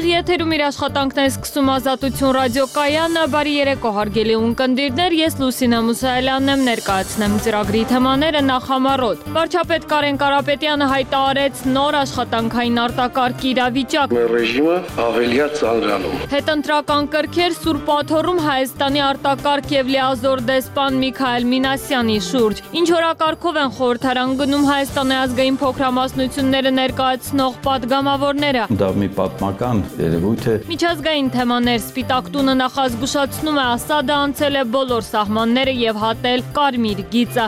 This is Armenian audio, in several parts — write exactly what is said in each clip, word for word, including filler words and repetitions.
Ուղիղ եթերում իր աշխատանքն է սկսում Ազատություն ռադիոկայանը, բարի երեկո հարգելի ունկնդիրներ, ես Լուսինե Մուսայելյանն եմ, ներկայացնեմ ծրագրի թեմաները նախամարոտ։ Վարչապետ Կարեն Կարապետյանը հայտարարեց նոր աշխատանքային արտակարգ իրավիճակ։ Ռեժիմը ավելիա ծանրանում։ Հետընտրական կրքեր Սուրբ Աթոռում Հայաստանի արտակարգ եւ լիազոր դեսպան Միքայել Մինասյանի շուրջ։ Ինչ օրակարգով են խորհրդարան գնում Հայաստանի ազգային փոքրամասնությունները ներկայացնող պատգամավորները։ Դա մի պատմական երևույթ է։ Միջազգային թեմաներ Սպիտակ տունը նախազգուշացնում է Ասադը անցել է բոլոր սահմանները եւ հատել կարմիր գիծը։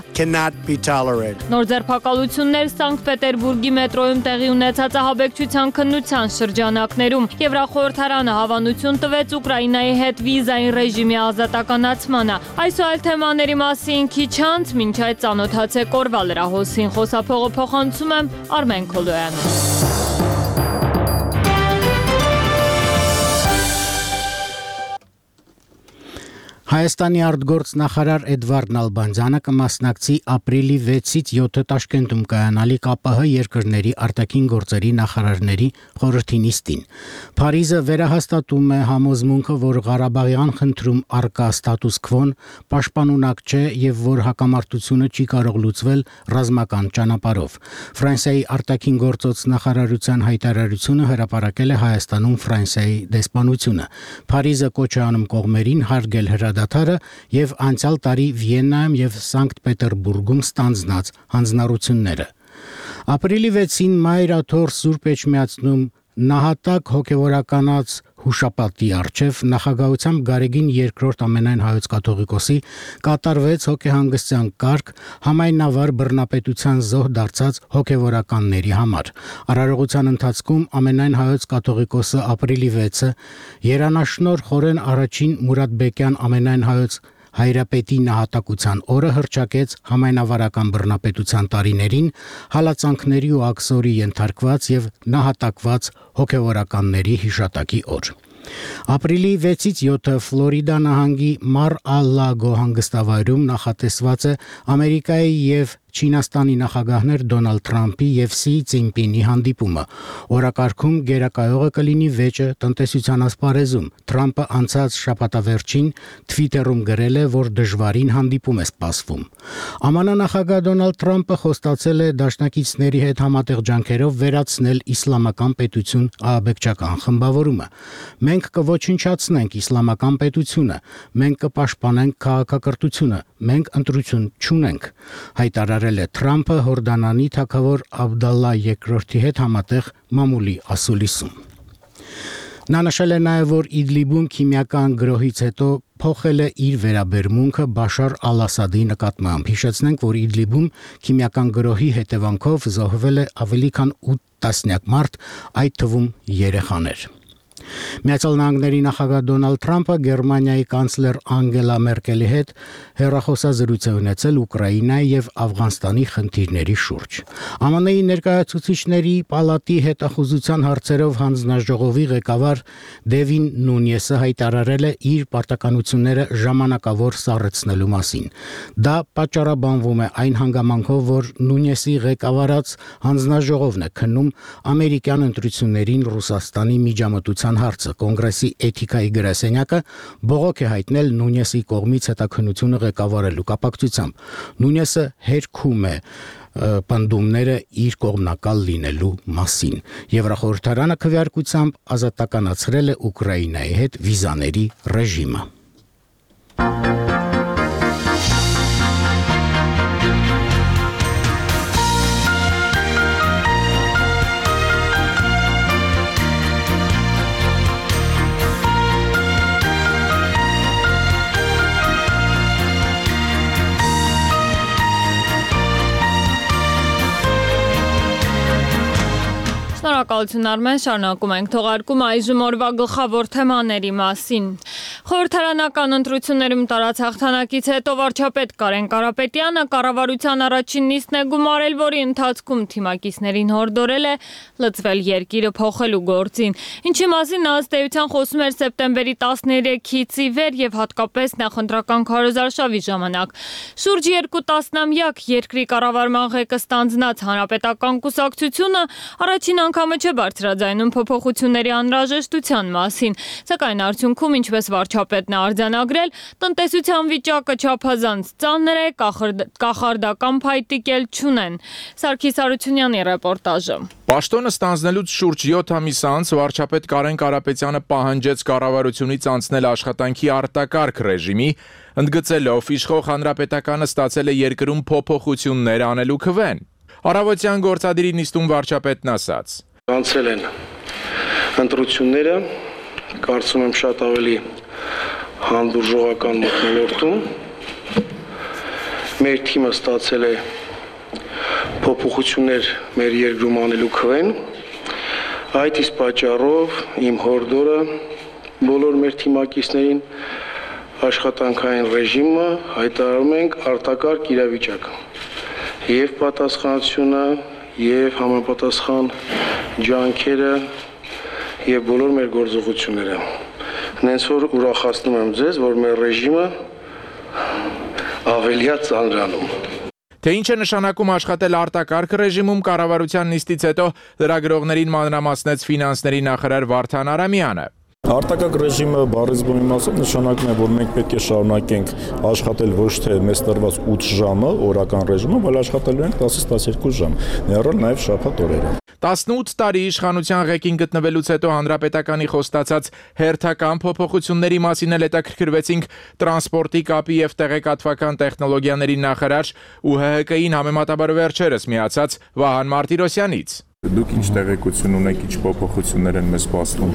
Նոր ձերբակալություններ Սանկտ Պետերբուրգի մետրոյում տեղի ունեցած ահաբեկչության քննության շրջանակներում Եվրախորհրդարանը հավանություն տվեց Ուկրաինայի հետ վիզային ռեժիմի ազատականացմանը։ Այս ու այլ թեմաների մասին քիչ անց մինչ այդ ծանոթացեք օրվա լրահոսին, խոսափողը փոխանցում եմ Արմեն Քոլոյանին։ Հայաստանի արտգործ նախարար Էդվարդ Նալբանդյանը կմասնակցի ապրիլի վեցից յոթը Տաշկենտում կայանալի ԿԱՊՀ երկրների արտաքին գործերի նախարարների խորհրդի նիստին։ Փարիզը վերահաստատում է համոզմունքը, որ Ղարաբաղյան խնդրում առկա ստատուս քվոն պաշտպանունակ չէ եւ որ հակամարտությունը չի կարող լուծվել ռազմական ճանապարհով։ Ֆրանսիայի արտաքին գործոց նախարարության հայտարարությունը հրապարակել է Հայաստանում Ֆրանսիայի դեսպանությունը։ Փարիզը կոչ է անում կողմերին հարգել հրադադարը եւ անցյալ տարի Վիեննայում եւ Սանկտ Պետերբուրգում ստանձնած հանձնառությունները։ Ապրիլի վեցին Մայր Աթոռ Սուրբ Էջմիածնում նահատակ հոգևորականած հուշապատի առջև նախագահությամբ Գարեգին երկրորդ ամենայն հայոց կաթողիկոսի կատարվեց հոգեհանգստյան կարգ համայնավար բռնապետության զոհ դարձած հոգևորականների համար։ Արարողության ընթացքում ամենայն հայոց կաթողիկոսը ապրիլի վեցը Երանաշնոր Խորեն առաջին Մուրադբեկյան ամենայն հայոց հայրապետի նահատակության օրը հռչակեց համայնավարական բռնապետության տարիներին հալածանքների ու աքսորի ենթարկված եւ նահատակված հոգևորականների հիշատակի օր։ Ապրիլի վեցից յոթը Ֆլորիդա նահանգի Մար-ա-Լագո հանգստավայրում նախատեսված է Ամերիկայի եւ Չինաստանի նախագահներ Դոնալդ Թրամփի եւ Սի Ցինպինի հանդիպումը։ Օրակարգում գերակայողը կլինի վեճը տնտեսության ասպարեզում։ Թրամփը անցած շաբաթավերջին Twitter-ում գրել է, որ դժվարին հանդիպում է սպասվում։ ԱՄՆ նախագահ Դոնալդ Թրամփը խոստացել է դաշնակիցների հետ համատեղ ջանքերով վերացնել իսլամական պետություն ահաբեկչական խմբավորումը։ Մենք կոչնչացնենք իսլամական պետությունը, մենք կպաշտպանենք քաղաքակրթությունը, մենք ընտրություն չունենք, հայտարարել է Թրամփը Հորդանանի թագավոր Աբդալլա երկրորդի հետ համատեղ մամուլի ասուլիսում։ Նա նշել է նաև, որ Իդլիբում քիմիական գրոհից հետո փոխել է իր վերաբերմունքը Բաշար Ալ-Ասադի նկատմամբ։ Հիշեցնենք, որ Իդլիբում քիմիական գրոհի հետևանքով զոհվել է ավելի քան ութ տասնյակ մարդ, այդ թվում երեխաներ։ Միացյալ Նահանգների նախագահ Դոնալդ Թրամփը Գերմանիայի կանցլեր Անգելա Մերկելի հետ հեռախոսազրույց է ունեցել Ուկրաինայի եւ Աֆղանստանի խնդիրների շուրջ։ ԱՄՆ-ի ներկայացուցիչների պալատի հետախուզության հարցերով հանձնաժողովի ղեկավար Դևին Նունյեսը հայտարարել է իր պարտականությունները ժամանակավոր սառեցնելու մասին։ Դա պատճառաբանվում է այն հանգամանքով, որ Նունյեսի ղեկավարած հանձնաժողովն է քննում ամերիկյան ընտրություններին Ռուսաստանի միջամտության հարցը։ Կոնգրեսի էթիկայի գրասենյակը բողոք է հայտնել Նունյեսի կողմից հետաքննությունը ղեկավարելու կապակցությամբ։ Նունյեսը հերքում է պնդումները իր կողմնակալ լինելու մասին։ Եվրախորհրդարանը քվեարկությամբ ազատականացրել է Ուկրաինայի հետ վիզաների ռեժիմը։ Շնորհակալություն Արմեն, շարունակում ենք թողարկումը այժմ օրվա գլխավոր թեմաների մասին։ Խորհրդարանական ընտրություններում տարած հաղթանակից հետո վարչապետ Կարեն Կարապետյանը կառավարության առաջին նիստն է գումարել, որի ընթացքում թիմակիցներին հորդորել է լծվել երկիրը փոխելու գործին։ Ինչի մասին նա ըստ էության խոսում էր սեպտեմբերի տասներեքից ի վեր եւ հատկապես նախընտրական քարոզարշավի ժամանակ։ Շուրջ երկու տասնամյակ երկրի կառավարման ղեկը ստանձնած հանրապետական կուսակցությունը առաջին անգամը չէ բարձրաձայնում փոփոխությունների անհրաժեշտության մասին, սակայն արդյունքում, ինչպես վարչապետն է արձանագրել, տնտեսության վիճակը չափազանց ծանր է, կախարդական փայտիկ էլ չունեն։ Սարգիս Հարությունյանի ռեպորտաժը։ Պաշտոնը ստանձնելուց շուրջ յոթ ամիս անց վարչապետ Կարեն Կարապետյանը պահանջեց կառավարությունից անցնել աշխատանքի արտակարգ ռեժիմի, ընդգծելով իշխող հանրապետականը ստացել է երկրում փոփոխություններ անելու քվեն։ Առավոտյան գործադիրի նիստում վարչապետն ասաց. Անցել են ընտրությունները, կարծում եմ շատ ավելի հանդուրժողական մթնոլորտում, մեր թիմը ստացել է փոփոխություններ մեր երկրում անելու քվեն, այդ իսկ պատճառով իմ հորդորը բոլոր մեր թիմակիցներին աշխատանքային ռեժիմը հայտարարում ենք արտակարգ իրավիճակ եւ պատասխանատվությունը եւ համապատասխան ջանքերը եւ բոլոր մեր գործողությունները։ Հենց որ ուրախացնում եմ ձեզ, որ մեր ռեժիմը ավելիա ծանրանում։ Թե ինչ է նշանակում աշխատել արտակարգ ռեժիմում, կառավարության նիստից հետո լրագրողներին մանրամասնեց ֆինանսների նախարար Վարդան Արամյանը։ Արտակարգ ռեժիմը բառից բնի մասով նշանակում է, որ մենք պետք է շարունակենք աշխատել ոչ թե մեզ տրված ութ ժամը օրական ռեժիմով, այլ աշխատելու ենք տասից տասներկու ժամ, ներառյալ նաև շաբաթ օրերը։ տասնութ տարի իշխանության ղեկին գտնվելուց հետո հանրապետականի խոստացած հերթական փոփոխությունների մասին էլ հետաքրքրվեցինք տրանսպորտի, կապի եւ տեղեկատվական տեխնոլոգիաների նախարար ու Հ Հ Կ-ին համեմատաբար վերջերս միացած Վահան Մարտիրոսյանից։ Դուք ինչ տեղեկություն ունեք, ինչ փոփոխություններ են մեզ սպասվում։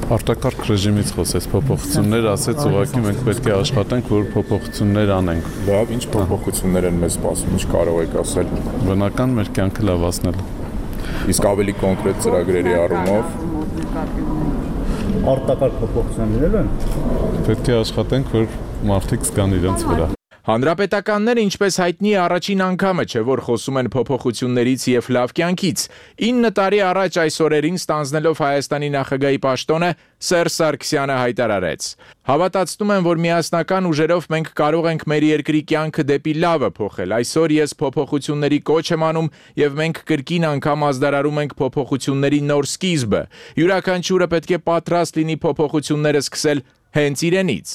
Արտակարգ ռեժիմից խոսեց փոփոխություններ, ասեց ուղղակի մենք պետք է աշխատենք, որ փոփոխություններ անենք։ Լավ, ինչ փոփոխություններ են մեզ սպասվում, ինչ կարող եք ասել։ Բնական մեր կյանքը լավացնելու։ Իսկ ավելի կոնկրետ ծրագրերի առումով արտակարգ փոփոխություններ են։ Պետք է աշխատենք, որ մարդիկ զգան իրենց վրա։ Հանրապետականները, ինչպես հայտնի է, առաջին անգամը չէ, որ խոսում են փոփոխություններից եւ լավ կյանքից։ ինը տարի առաջ այս օրերին ստանձնելով Հայաստանի նախագահի պաշտոնը Սերժ Սարգսյանը հայտարարեց. Հավատացնում եմ, որ միասնական ուժերով մենք կարող ենք մեր երկրի կյանքը դեպի լավը փոխել։ Այսօր ես փոփոխությունների կոչ եմ անում եւ մենք կրկին անգամ ազդարարում ենք փոփոխությունների նոր սկիզբը։ Յուրաքանչյուրը պետք է պատրաստ լինի փոփոխությունները սկսել հենց իրենից։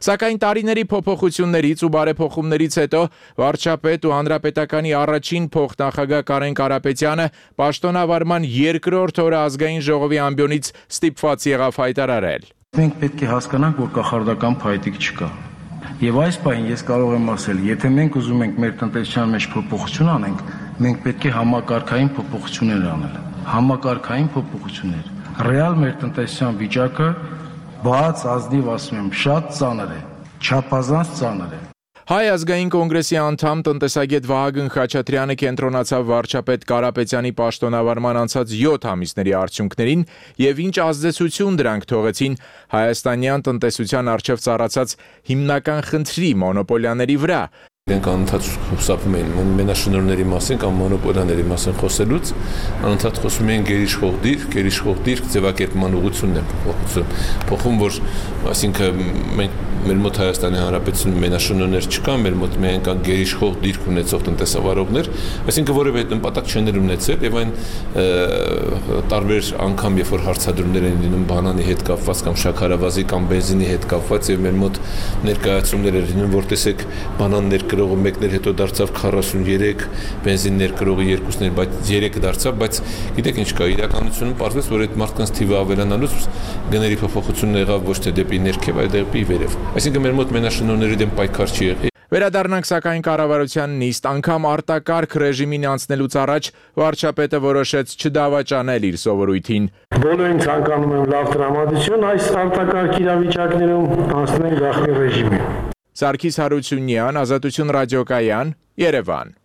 Սակայն տարիների փոփոխություններից ու բարեփոխումներից հետո վարչապետ ու հանրապետականի առաջին փոխնախագահ Կարեն Կարապետյանը պաշտոնավարման երկրորդ օրը ազգային ժողովի ամբիոնից ստիպված եղավ հայտարարել. Մենք պետք է հասկանանք, որ կախարդական փայտիկ չկա։ Եվ այս պահին ես կարող եմ ասել, եթե մենք ուզում ենք մեր տնտեսության մեջ փոփոխություն անենք, մենք պետք է համակարգային փոփոխություններ անել։ Համակարգային փոփոխություններ։ Ռեալ մեր տնտեսության վիճակը բաց ազնիվ ասում եմ, շատ ծանր է, չափազանց ծանր է։ Հայ ազգային կոնգրեսի անդամ տնտեսագետ Վահագն Խաչատրյանը կենտրոնացավ վարչապետ Կարապետյանի պաշտոնավարման անցած յոթ ամիսների արդյունքներին եւ ինչ ազդեցություն դրանք թողեցին հայաստանյան տնտեսության առջև ծառացած հիմնական խնդրի մոնոպոլիաների վրա։ Իրենք անընդհատ խուսափում էին մենաշնորհների մասին կամ մոնոպոլիաների մասին խոսելուց, անընդհատ խոսում էին գերիշխող դիրք, գերիշխող դիրք ձևակերպման ուղղությունն է փոխում, փոխում, որ այսինքն մենք մեր մոտ Հայաստանի Հանրապետությունում մենաշնորհներ չկան, մեր մոտ միայն կան գերիշխող դիրք ունեցող տնտեսավարողներ, այսինքն որևէ նպատակ չեն ունեցել եւ այն տարբեր անգամ, երբ որ հարցադրումներ են լինում բանանի հետ կապված կամ շաքարավազի կամ բենզինի հետ կապված եւ մեր մոտ ներկայացումներ են լինում, որ տեսեք բանաններ կրողը մեկներ հետո դարձավ քառասուններեք, բենզիններ կրողը երկուսներ, բայց երեք դարձավ, բայց գիտեք ինչ կա, իրականությունում պարզվեց, որ այդ մարդկանց թիվը ավելանալուց գների փոփոխությունն եղավ ոչ թե դեպի ներքև, այլ դեպի վերև։ Այսինքն մեր մոտ մենաշնորհների դեմ պայքար չի եղել։ Վերադառնանք սակայն կառավարության նիստ, անգամ արտակարգ ռեժիմին անցնելուց առաջ վարչապետը որոշեց չդավաճանել իր սովորույթին։ Բոլորին ցանկանում եմ լավ տրամադրություն, այս արտակարգ իրավիճակներում անցնենք գաղտնի ռեժիմի։ Սարգիս Հարությունյան, Ազատություն ռադիոկայան, Երևան։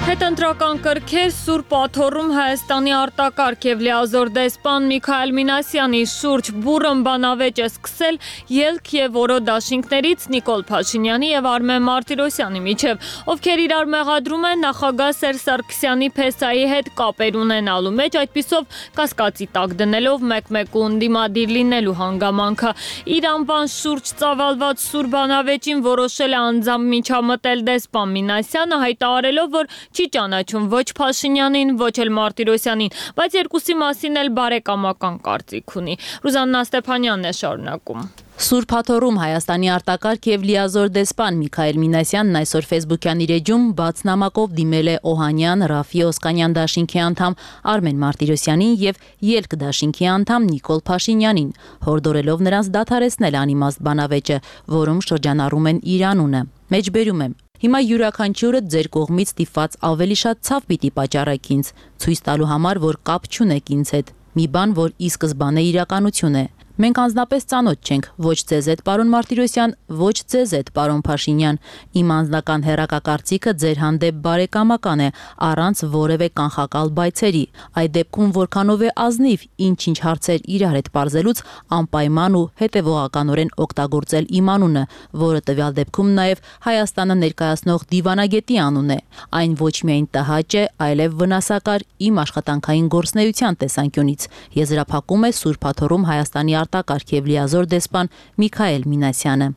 Հետընտրական կրքեր Սուրբ Աթոռում Հայաստանի արտակարգ եւ լիազոր դեսպան Միքայել Մինասյանի շուրջ բուռն բանավեճ է սկսել ելք եւ որո դաշինքներից Նիկոլ Փաշինյանի եւ Արմեն Մարտիրոսյանի միջև, ովքեր իրար մեղադրում են նախագահ Սերժ Սարգսյանի փեսայի հետ կապեր ունենալու մեջ, այդպիսով կասկածի տակ դնելով մեկ-մեկուն դիմադիր լինելու հանգամանքը։ Իր անվան շուրջ ծավալված սուր բանավեճին որոշել է անձամբ միջամտել դեսպան Մինասյանը, հայտարարելով, որ չի ճանաչում ոչ Փաշինյանին, ոչ էլ Մարտիրոսյանին, բայց երկուսի մասին էլ բարեկամական կարծիք ունի։ Ռուզաննա Ստեփանյանն է շարունակում։ Սուրբ Աթոռում Հայաստանի արտակարգ եւ լիազոր դեսպան Միքայել Մինասյանն այսօր Facebook-յան իր էջում բաց նամակով դիմել է Օհանյան, Ռաֆի Օսկանյան դաշինքի անդամ Արմեն Մարտիրոսյանին եւ Ելք դաշինքի անդամ Նիկոլ Փաշինյանին, հորդորելով նրանց դադարեցնել անիմաստ բանավեճը, որում շրջանառում են իր անունը։ Մեջբերում եմ. Հիմա յուրաքանչյուրը ձեր կողմից ստիպված ավելի շատ ցավ պիտի պատճառեք ինձ, ցույց տալու համար, որ կապ չունեք ինձ հետ։ Մի բան, որ ի սկզբանե իրականություն է։ Մենք անձնապես ծանոթ չենք ոչ ձեզ հետ, պարոն Մարտիրոսյան, ոչ ձեզ հետ, պարոն Փաշինյան։ Իմ անձնական հեռակակարծիքը ձեր հանդեպ բարեկամական է, առանց որևէ կանխակալ բայցերի։ Այդ դեպքում որքանով է ազնիվ ինչ-ինչ հարցեր իրար հետ պարզելուց անպայման ու հետևողականորեն օգտագործել իմ անունը, որը տվյալ դեպքում նաև Հայաստանը ներկայացնող դիվանագետի անուն է։ Այն ոչ միայն տհաճ է, այլև վնասակար իմ աշխատանքային գործունեության տեսանկյունից։ Եզրափակում է Սուրբ Աթոռում Հայաստանի արտակարգ եւ լիազոր դեսպան Միքայել Մինասյանը։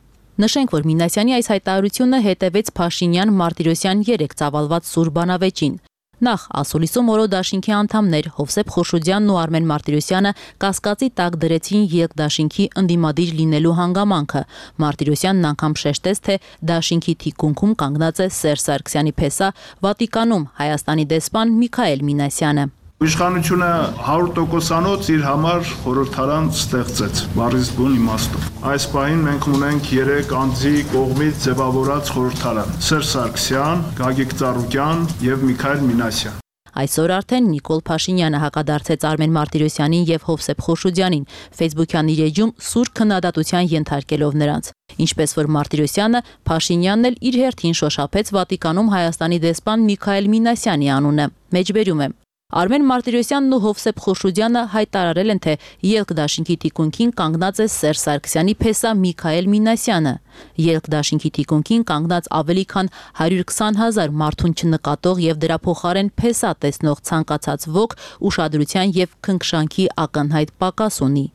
Նշենք, որ Մինասյանի այս հայտարարությունը հետևեց Փաշինյան-Մարտիրոսյան երեք ծավալված սուր բանավեճին։ Նախ ասուլիսում օրո դաշինքի անդամներ Հովսեփ Խոշոդյանն ու Արմեն Մարտիրոսյանը կասկածի տակ դրեցին Ելք դաշինքի ընդդիմադիր լինելու հանգամանքը։ Մարտիրոսյանն անգամ շեշտեց, թե դաշինքի թիկունքում կանգնած է Սերժ Սարգսյանի փեսա Վատիկանում Հայաստանի դեսպան Միքայել Մինասյանը։ Իշխանությունը հարյուր տոկոսանոց իր համար խորհրդարան ստեղծեց, բառից բուն իմաստով։ Այս պահին մենք ունենք երեք անձի կողմից ձևավորած խորհրդարան՝ Սերժ Սարգսյան, Գագիկ Ծառուկյան եւ Միքայել Մինասյան։ Այսօր արդեն Նիկոլ Փաշինյանը հակադարձեց Արմեն Մարտիրոսյանին եւ Հովսեփ Խոշոդյանին, Facebook-յան իր էջում սուր քննադատության ենթարկելով նրանց։ Ինչպես որ Մարտիրոսյանը, Փաշինյանն էլ իր հերթին շոշափեց Վատիկանում Հայաստանի դեսպան Միքայել Մինասյանի անունը։ Մեջբերում եմ. Արմեն Մարտիրոսյանն ու Հովսեփ Խոշոդյանը հայտարարել են, թե Ելք դաշինքի թիկունքին կանգնած է Սերժ Սարգսյանի փեսա Միքայել Մինասյանը։ Ելք դաշինքի թիկունքին կանգնած ավելի քան հարյուր քսան հազար մարդուն չնկատող եւ դրա փոխարեն փեսա տեսնող ցանկացած ոք ուշադրության եւ քնքշանքի ակնհայտ պակաս ունի։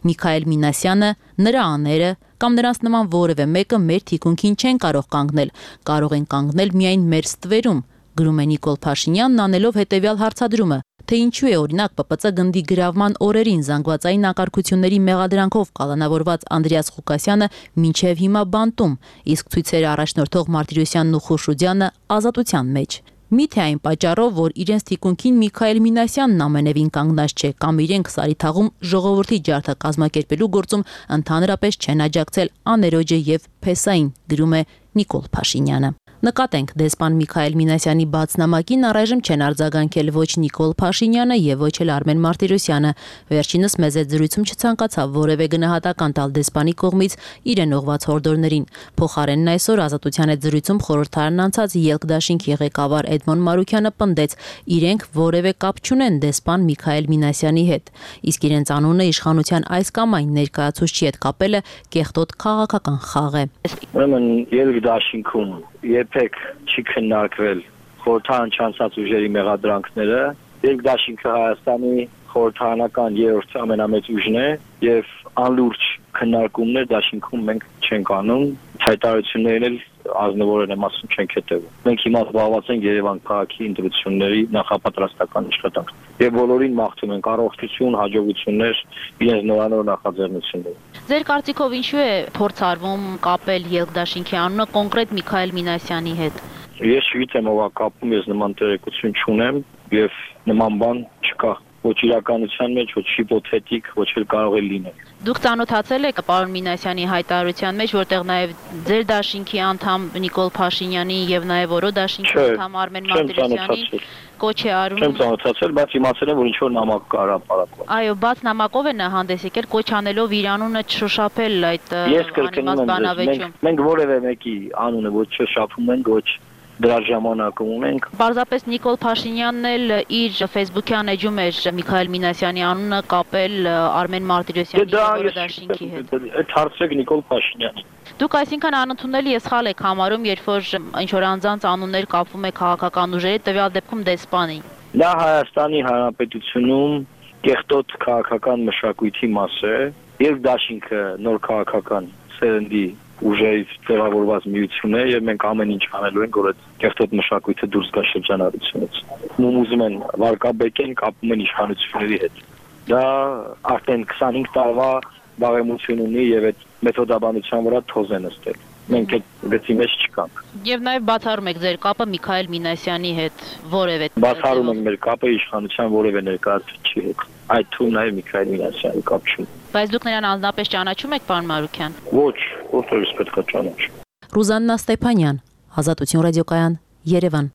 Միքայել Մինասյանը, նրա աները կամ նրանց նման որևէ մեկը մեր թիկունքին չեն կարող կանգնել, կարող են կանգնել միայն մեր ստվերում։ Գրում է Նիկոլ Փաշինյանն անելով հետևյալ հարցադրումը, թե ինչու է օրինակ Պ Պ Ծ գնդի գրավման օրերին զանգվածային անկարգությունների մեղադրանքով կալանավորված Անդրեաս Ղուկասյանը մինչև հիմա բանտում, իսկ ցույցերը առաջնորդող Մարտիրոսյանն ու Խոշոդյանը ազատության մեջ։ Միթե այն պատճառով, որ իրենց թիկունքին Միքայել Մինասյանն ամենևին կանգնած չէ, կամ իրենք Սարիթաղում ժողովրդի ջարդը կազմակերպելու գործում ընդհանրապես չեն աջակցել աներոջը եւ փեսային, գրում է Նիկոլ Փաշինյանը։ Նկատենք, դեսպան Միքայել Մինասյանի բաց նամակին առայժմ չեն արձագանքել ոչ Նիկոլ Փաշինյանը եւ ոչ էլ Արմեն Մարտիրոսյանը։ Վերջինս մեծ զրույցում չցանկացավ որևէ գնահատական տալ դեսպանի կողմից իրեն ուղված հորդորներին։ Փոխարենն այսօր Ազատության հետ զրույցում խորհրդարան անցած Ելք դաշինքի ղեկավար Էդմոն Մարուքյանը պնդեց, իրենք որևէ կապ չունեն դեսպան Միքայել Մինասյանի հետ, իսկ իրենց անունը իշխանության այս կամ այն ներկայացուցչի հետ կապելը կեղտոտ քաղաքական խաղ է։ Ուրեմն Ելք դաշինքում երբեք չի քննարկվել խորհրդարան չանցած ուժերի մեղադրանքները։ Ելք դաշինքը Հայաստանի խորհրդարանական երրորդ ամենամեծ ուժն է եւ անլուրջ քննարկումներ դաշինքում մենք չենք անում, հայտարարություններն էլ ազնվորեն եմ ասում չենք հետևում։ Մենք հիմա զբաղված ենք Երևան քաղաքի ընտրությունների նախապատրաստական աշխատանքով եւ բոլորին մաղթում ենք առողջություն, հաջողություններ իրենց նորանոր նախաձեռնություններում։ Ձեր կարծիքով ինչու է փորձ արվում կապել Ելք դաշինքի անունը կոնկրետ Միքայել Մինասյանի հետ։ Ես չգիտեմ ով է կապում, ես նման տեղեկություն չունեմ եւ նման բան չկա։ Ոչ իրականության մեջ, ոչ հիպոթետիկ, ոչ էլ կարող է լինել։ Դուք ծանոթացել եք պարոն Մինասյանի հայտարարության մեջ, որտեղ նաև ձեր դաշինքի անդամ Նիկոլ Փաշինյանի եւ նաև օրո դաշինքի անդամ Արմեն Մարտիրոսյանին կոչ է արում։ Չեմ ծանոթացել, բայց իմացել եմ, որ ինչ որ նամակ կա հրապարակված։ Այո, բաց նամակով է նա հանդես եկել, կոչ անելով իր անունը չշոշափել այդ անիմաստ բանավեճում։ Մենք որևէ մեկի անունը ոչ շոշափում ենք, ոչ դրա ժամանակում ունենք։ Պարզապես Նիկոլ Փաշինյանն էլ իր Facebook-յան էջում էր Միքայել Մինասյանի անունը կապել Արմեն Մարտիրոսյանի եւ դաշինքի հետ։ Այդ հարցրեք Նիկոլ Փաշինյանին։ Դուք այսինքն անընդունելի է սխալ եք համարում, երբ որ ինչ որ անձանց անուններ կապվում է քաղաքական ուժերի, տվյալ դեպքում դեսպանի։ Դա Հայաստանի Հանրապետությունում կեղտոտ քաղաքական մշակույթի մաս է, եւ դաշինքը նոր քաղաքական սերնդի ուժերից ձևավորված միություն է եւ մենք ամեն ինչ անելու ենք, որ այդ կեղտոտ մշակույթը դուրս գա շրջանառությունից։ Ում ուզում են վարկաբեկեն, կապում են իշխանությունների հետ։ Դա արդեն քսանհինգ տարվա բարեմություն ունի եւ այդ մեթոդաբանության վրա թոզ են նստել։ Մենք այդ գծի մեջ չկանք։ Եվ նաև բացառում եք ձեր կապը Միքայել Մինասյանի հետ որևէ։ Բացառում ենք մեր կապը իշխանության որևէ ներկայացուցիչի հետ։ Այդ թվում նաև Միքայել Մինասյանի կապ չունի։ Բայց դուք նրան անձնապես ճանաչում եք, պարոն Մարուքյան։ Ոչ, որտեղից պետք է ճանաչեմ։ Ռուզաննա Ստեփանյան, Ազատություն ռադիոկայան, Երևան։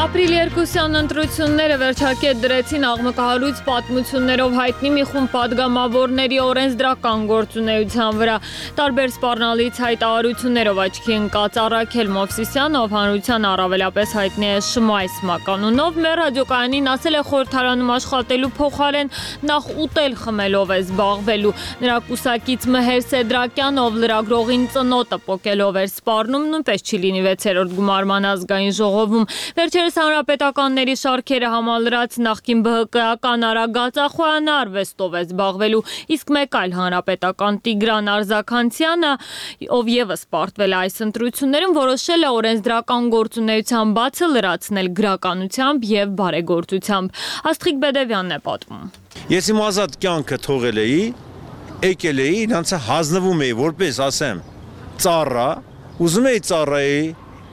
Ապրիլի երկուսյան ընտրությունները վերջակետ դրեցին աղմկահարույց պատմություններով հայտնի մի խումբ պատգամավորների օրենսդրական գործունեության վրա։ Տարբեր սպառնալից հայտարարություններով աչքի ընկած Առաքել Մովսիսյանը, ով հանրության առավելապես հայտնի է Շմայս մականունով, մեր ռադիոկայանին ասել է խորհրդարանում աշխատելու փոխարեն նախ ուտել խմելով է զբաղվելու։ Նրա կուսակից Մհեր Սեդրակյան, ով լրագրողին ծնոտը պոկելով էր սպառնում, նույնպես չի լինի վեցերորդ գումարման ազգային ժողովում։ Վերջերս հանրապետականների շարքերը համալրած նախկին ԲՀԿ-ական Արագած Ախոյանը արվեստով է զբաղվելու, իսկ մեկ այլ հանրապետական Տիգրան Արզականցյանը, ով եւս պարտվել է այս ընտրություններում, որոշել է օրենսդրական գործունեության բացը լրացնել գրականությամբ եւ բարեգործությամբ։ Աստղիկ Բեդևյանն է պատմում։ Ես իմ ազատ կյանքը թողել էի, եկել էի, իրանց հանձնվում էի, որպես ասեմ, ծառա, ուզում էի ծառայի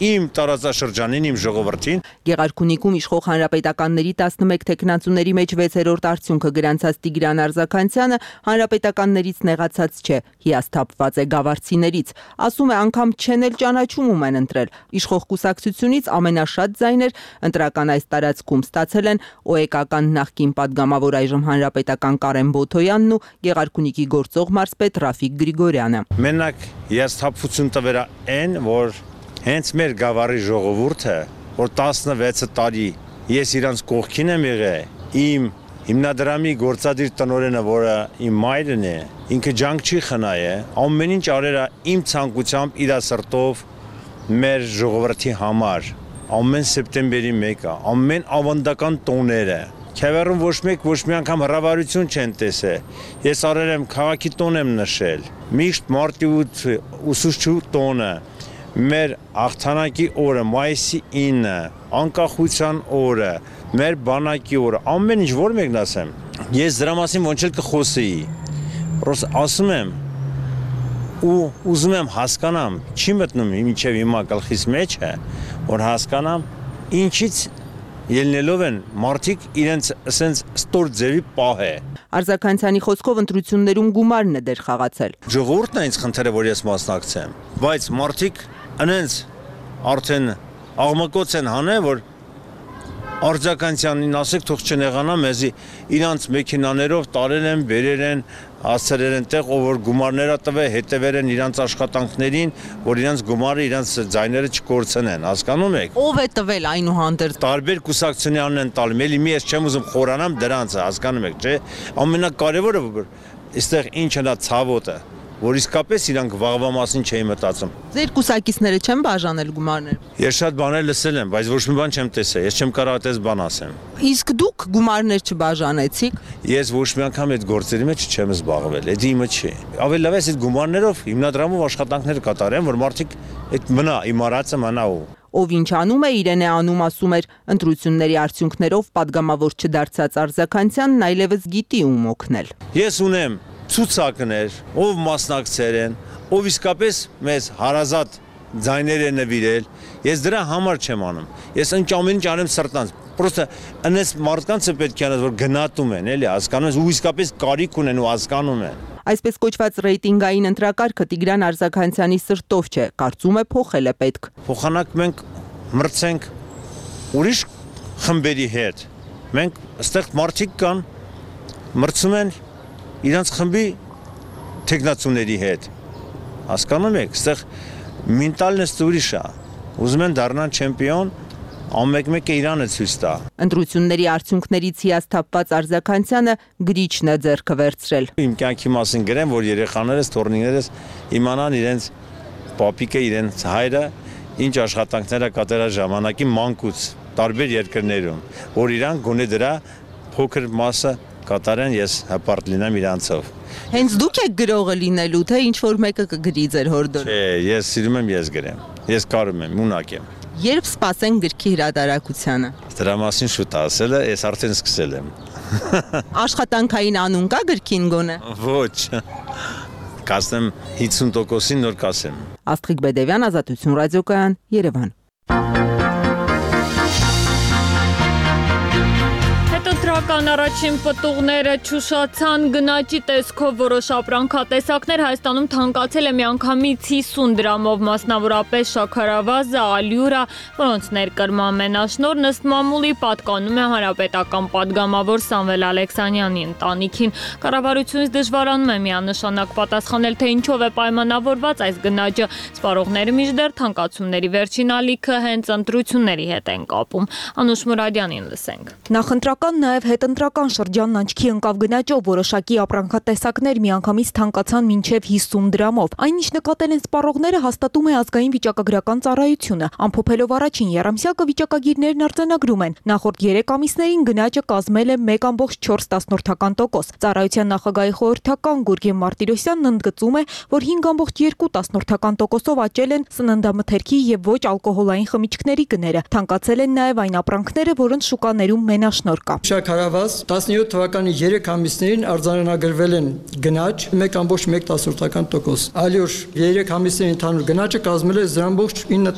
իմ տարածաշրջանին, իմ ժողովրդին։ Գեղարքունիքում իշխող հանրապետականների տասնմեկ թեկնածուների մեջ վեցերորդ արդյունքը գրանցած Տիգրան Արզականցյանը հանրապետականներից նեղացած չէ, հիասթափված է գավառցիներից, ասում է անգամ չեն էլ ճանաչում ում են ընտրել։ Իշխող կուսակցությունից ամենաշատ ձայներ ընտրական այս տարածքում ստացել են ՕԵԿ-ական նախկին падգամավոր այժմ հանրապետական Կարեն Բոթոյանն ու Գեղարքունիքի գործող մարզպետ Ռաֆիկ Գրիգորյանը։ Մենակ հիասթափություն տվերա այն, որ հենց մեր գավառի ժողովուրդը, որ տասնվեց տարի ես իրանց կողքին եմ եղել, իմ հիմնադրամի գործադիր տնօրենը, որը իմ մայրն է, ինքը ջանք չի խնայե, ամեն ինչ արերա իմ ցանկությամբ իր սրտով մեր ժողովրդի համար, ամեն սեպտեմբերի մեկը, ամեն ավանդական տոները, Քևերում ոչ մեկ ոչ մի անգամ հրավարություն չեն տեսել։ Ես արել եմ քաղաքի տոն եմ նշել, միշտ մարտի ութ ուսուցչու տոնը, մեր աղթանակի օրը, մայիսի ինը, անկախության օրը, մեր բանակի օրը, ամեն ինչ որ մեկն ասեմ, ես դրա մասին ոնց էլ կխոսեի, ասում եմ ու ուզում եմ հասկանամ, չի մտնում մինչև հիմա գլխիս մեջ է, որ հասկանամ ինչից ելնելով են մարդիկ իրենց ասենց ստոր ձևի պահ է։ Արզականցյանի խոսքով ընտրություններում գումարն է դեր խաղացել։ Ժողովուրդն է ինձ խնդրել, որ ես մասնակցեմ, բայց մարդիկ անենց արդեն աղմկոց են հանել, որ Արզականցյանին ասեք թող չնեղանա մեզի իրանց մեքենաներով տարել են, բերել են, հասցրել են տեղ, ով որ գումարները տվե, հետևել են իրանց աշխատանքներին, որ իրանց գումարը, իրանց ձայները չկորցնեն, հասկանում եք։ Ով է տվել այնուհանդերձ։ Տարբեր կուսակցություններն են տալի, էլի մի ես չեմ ուզում խորանամ դրանցը, հասկանում եք, չէ։ Ամենակարևորը այստեղ ինչն է ցավոտը, որ իսկապես իրանք վաղվա մասին չէի մտածում։ Ձեր կուսակիցները չեն բաժանել գումարներ։ Ես շատ բաներ լսել եմ, բայց ոչ մի բան չեմ տեսել, ես չեմ կարող այդպես բան ասեմ։ Իսկ դուք գումարներ չբաժանեցիք։ Ես ոչ մի անգամ այդ գործերի մեջ չեմ զբաղվել, դա իմը չի։ Ավելի լավ է այդ գումարներով հիմնադրամով աշխատանքներ կատարեմ, որ մարդիկ այդ մնա, իմ արածը մնա ու Ով ինչ անում է, իրեն է անում, ասում էր, ընտրությունների արդյունքներով падգամավոր չդարձած Արզականցյանն այլևս գիտի ում օգնել։ Ես ունեմ ցուցակներ, ով մասնակցեր են, ով իսկապես մեզ հարազատ ձայներ է նվիրել, ես դրա համար չեմ անում, ես ինչ ամեն ինչ անեմ սրտանց, պրոստը ընես մարդկանց է պետք է անես, որ գնատում են, էլի, հասկանում ես, ու իսկապես կարիք ունեն ու հասկանում են։ Այսպես կոչված ռեյտինգային ընտրակարգը Տիգրան Արզականցյանի սրտով չէ, կարծում է փոխել է պետք։ Փոխանակ մենք մրցենք ուրիշ խմբերի հետ, մենք այստեղ մարդիկ կան, մրցում են իրանց խմբի թեկնածուների հետ, հասկանում եք, այստեղ մենտալն է ուրիշ է, ուզում են դառնան չեմպիոն, ամեկ-մեկը իրանը ցույց տա։ Ընտրությունների արդյունքներից հիասթափված Արզականցյանը գրիչն է ձեռքը վերցրել։ Իմ կյանքի մասին գրեմ, որ երեխաներս, թոռնիկներս իմանան իրենց պապիկը, իրենց հայրը ինչ աշխատանքներ է կատարել ժամանակի մանկուց տարբեր երկրներում, որ իրանք գոնե դրա փոքր մասը կատարեն, ես հպարտ լինեմ իրանցով։ Հենց դուք եք գրողը լինելու, թե ինչ որ մեկը կգրի ձեր հորդորը։ Չէ, ես սիրում եմ ես գրեմ։ Ես կարում եմ, ունակ եմ։ Երբ սպասեն գրքի հրատարակությանը։ Դրա մասին շուտ ասելը, ես արդեն սկսել եմ։ Աշխատանքային անուն կա գրքին գոնե։ Ոչ։ Կասեմ հիսուն տոկոսին նոր կասեմ։ Աստղիկ Բեդևյան, Ազատություն ռադիոկայան, Երևան։ Հետընտրական առաջին պտուղները չուշացան, գնաճի տեսքով որոշ ապրանքատեսակներ Հայաստանում թանկացել է միանգամից հիսուն դրամով, մասնավորապես շաքարավազը, ալյուրը, որոնց ներկրման մենաշնորհն ըստ մամուլի պատկանում է հանրապետական պատգամավոր Սամվել Ալեքսանյանի ընտանիքին։ Կառավարությունից դժվարանում է միանշանակ պատասխանել, թե ինչով է պայմանավորված այս գնաճը։ Սպառողները մինչդեռ թանկացումների վերջին ալիքը հենց ընտրությունների հետ են կապում։ Անուշ Մուրադյանին լսենք։ Նախընտրական նաև հետընտրական շրջանն աչքի ընկավ գնաճով, որոշակի ապրանքատեսակներ միանգամից թանկացան մինչև հիսուն դրամով։ Այն ինչ նկատել են սպառողները հաստատում է ազգային վիճակագրական ծառայությունը։ Ամփոփելով առաջին եռամսյակը վիճակագիրներն արձանագրում են։ Նախորդ երեք ամիսներին գնաճը կազմել է մեկ կόμma չորս տոկոս։ Ծառայության նախագահի խորհրդական Գուրգեն Մարտիրոսյանն ընդգծում է, որ հինգ կόμma երկու տոկոսով աճել են սննդամթերքի եւ ոչ ալկոհոլային խմիչքների գները։ Թանկացել են նաև այն ապրանքները, որոնց շուկաներում մենաշնորհ կա։ Շաքարավազ տասնյոթ թվականի երեք ամիսներին արձանագրվել են գնաճ մեկ կόμma մեկ տոկոս։ Ալյուր երեք ամիսների ընդհանուր գնաճը կազմել է զրո կόμma ինը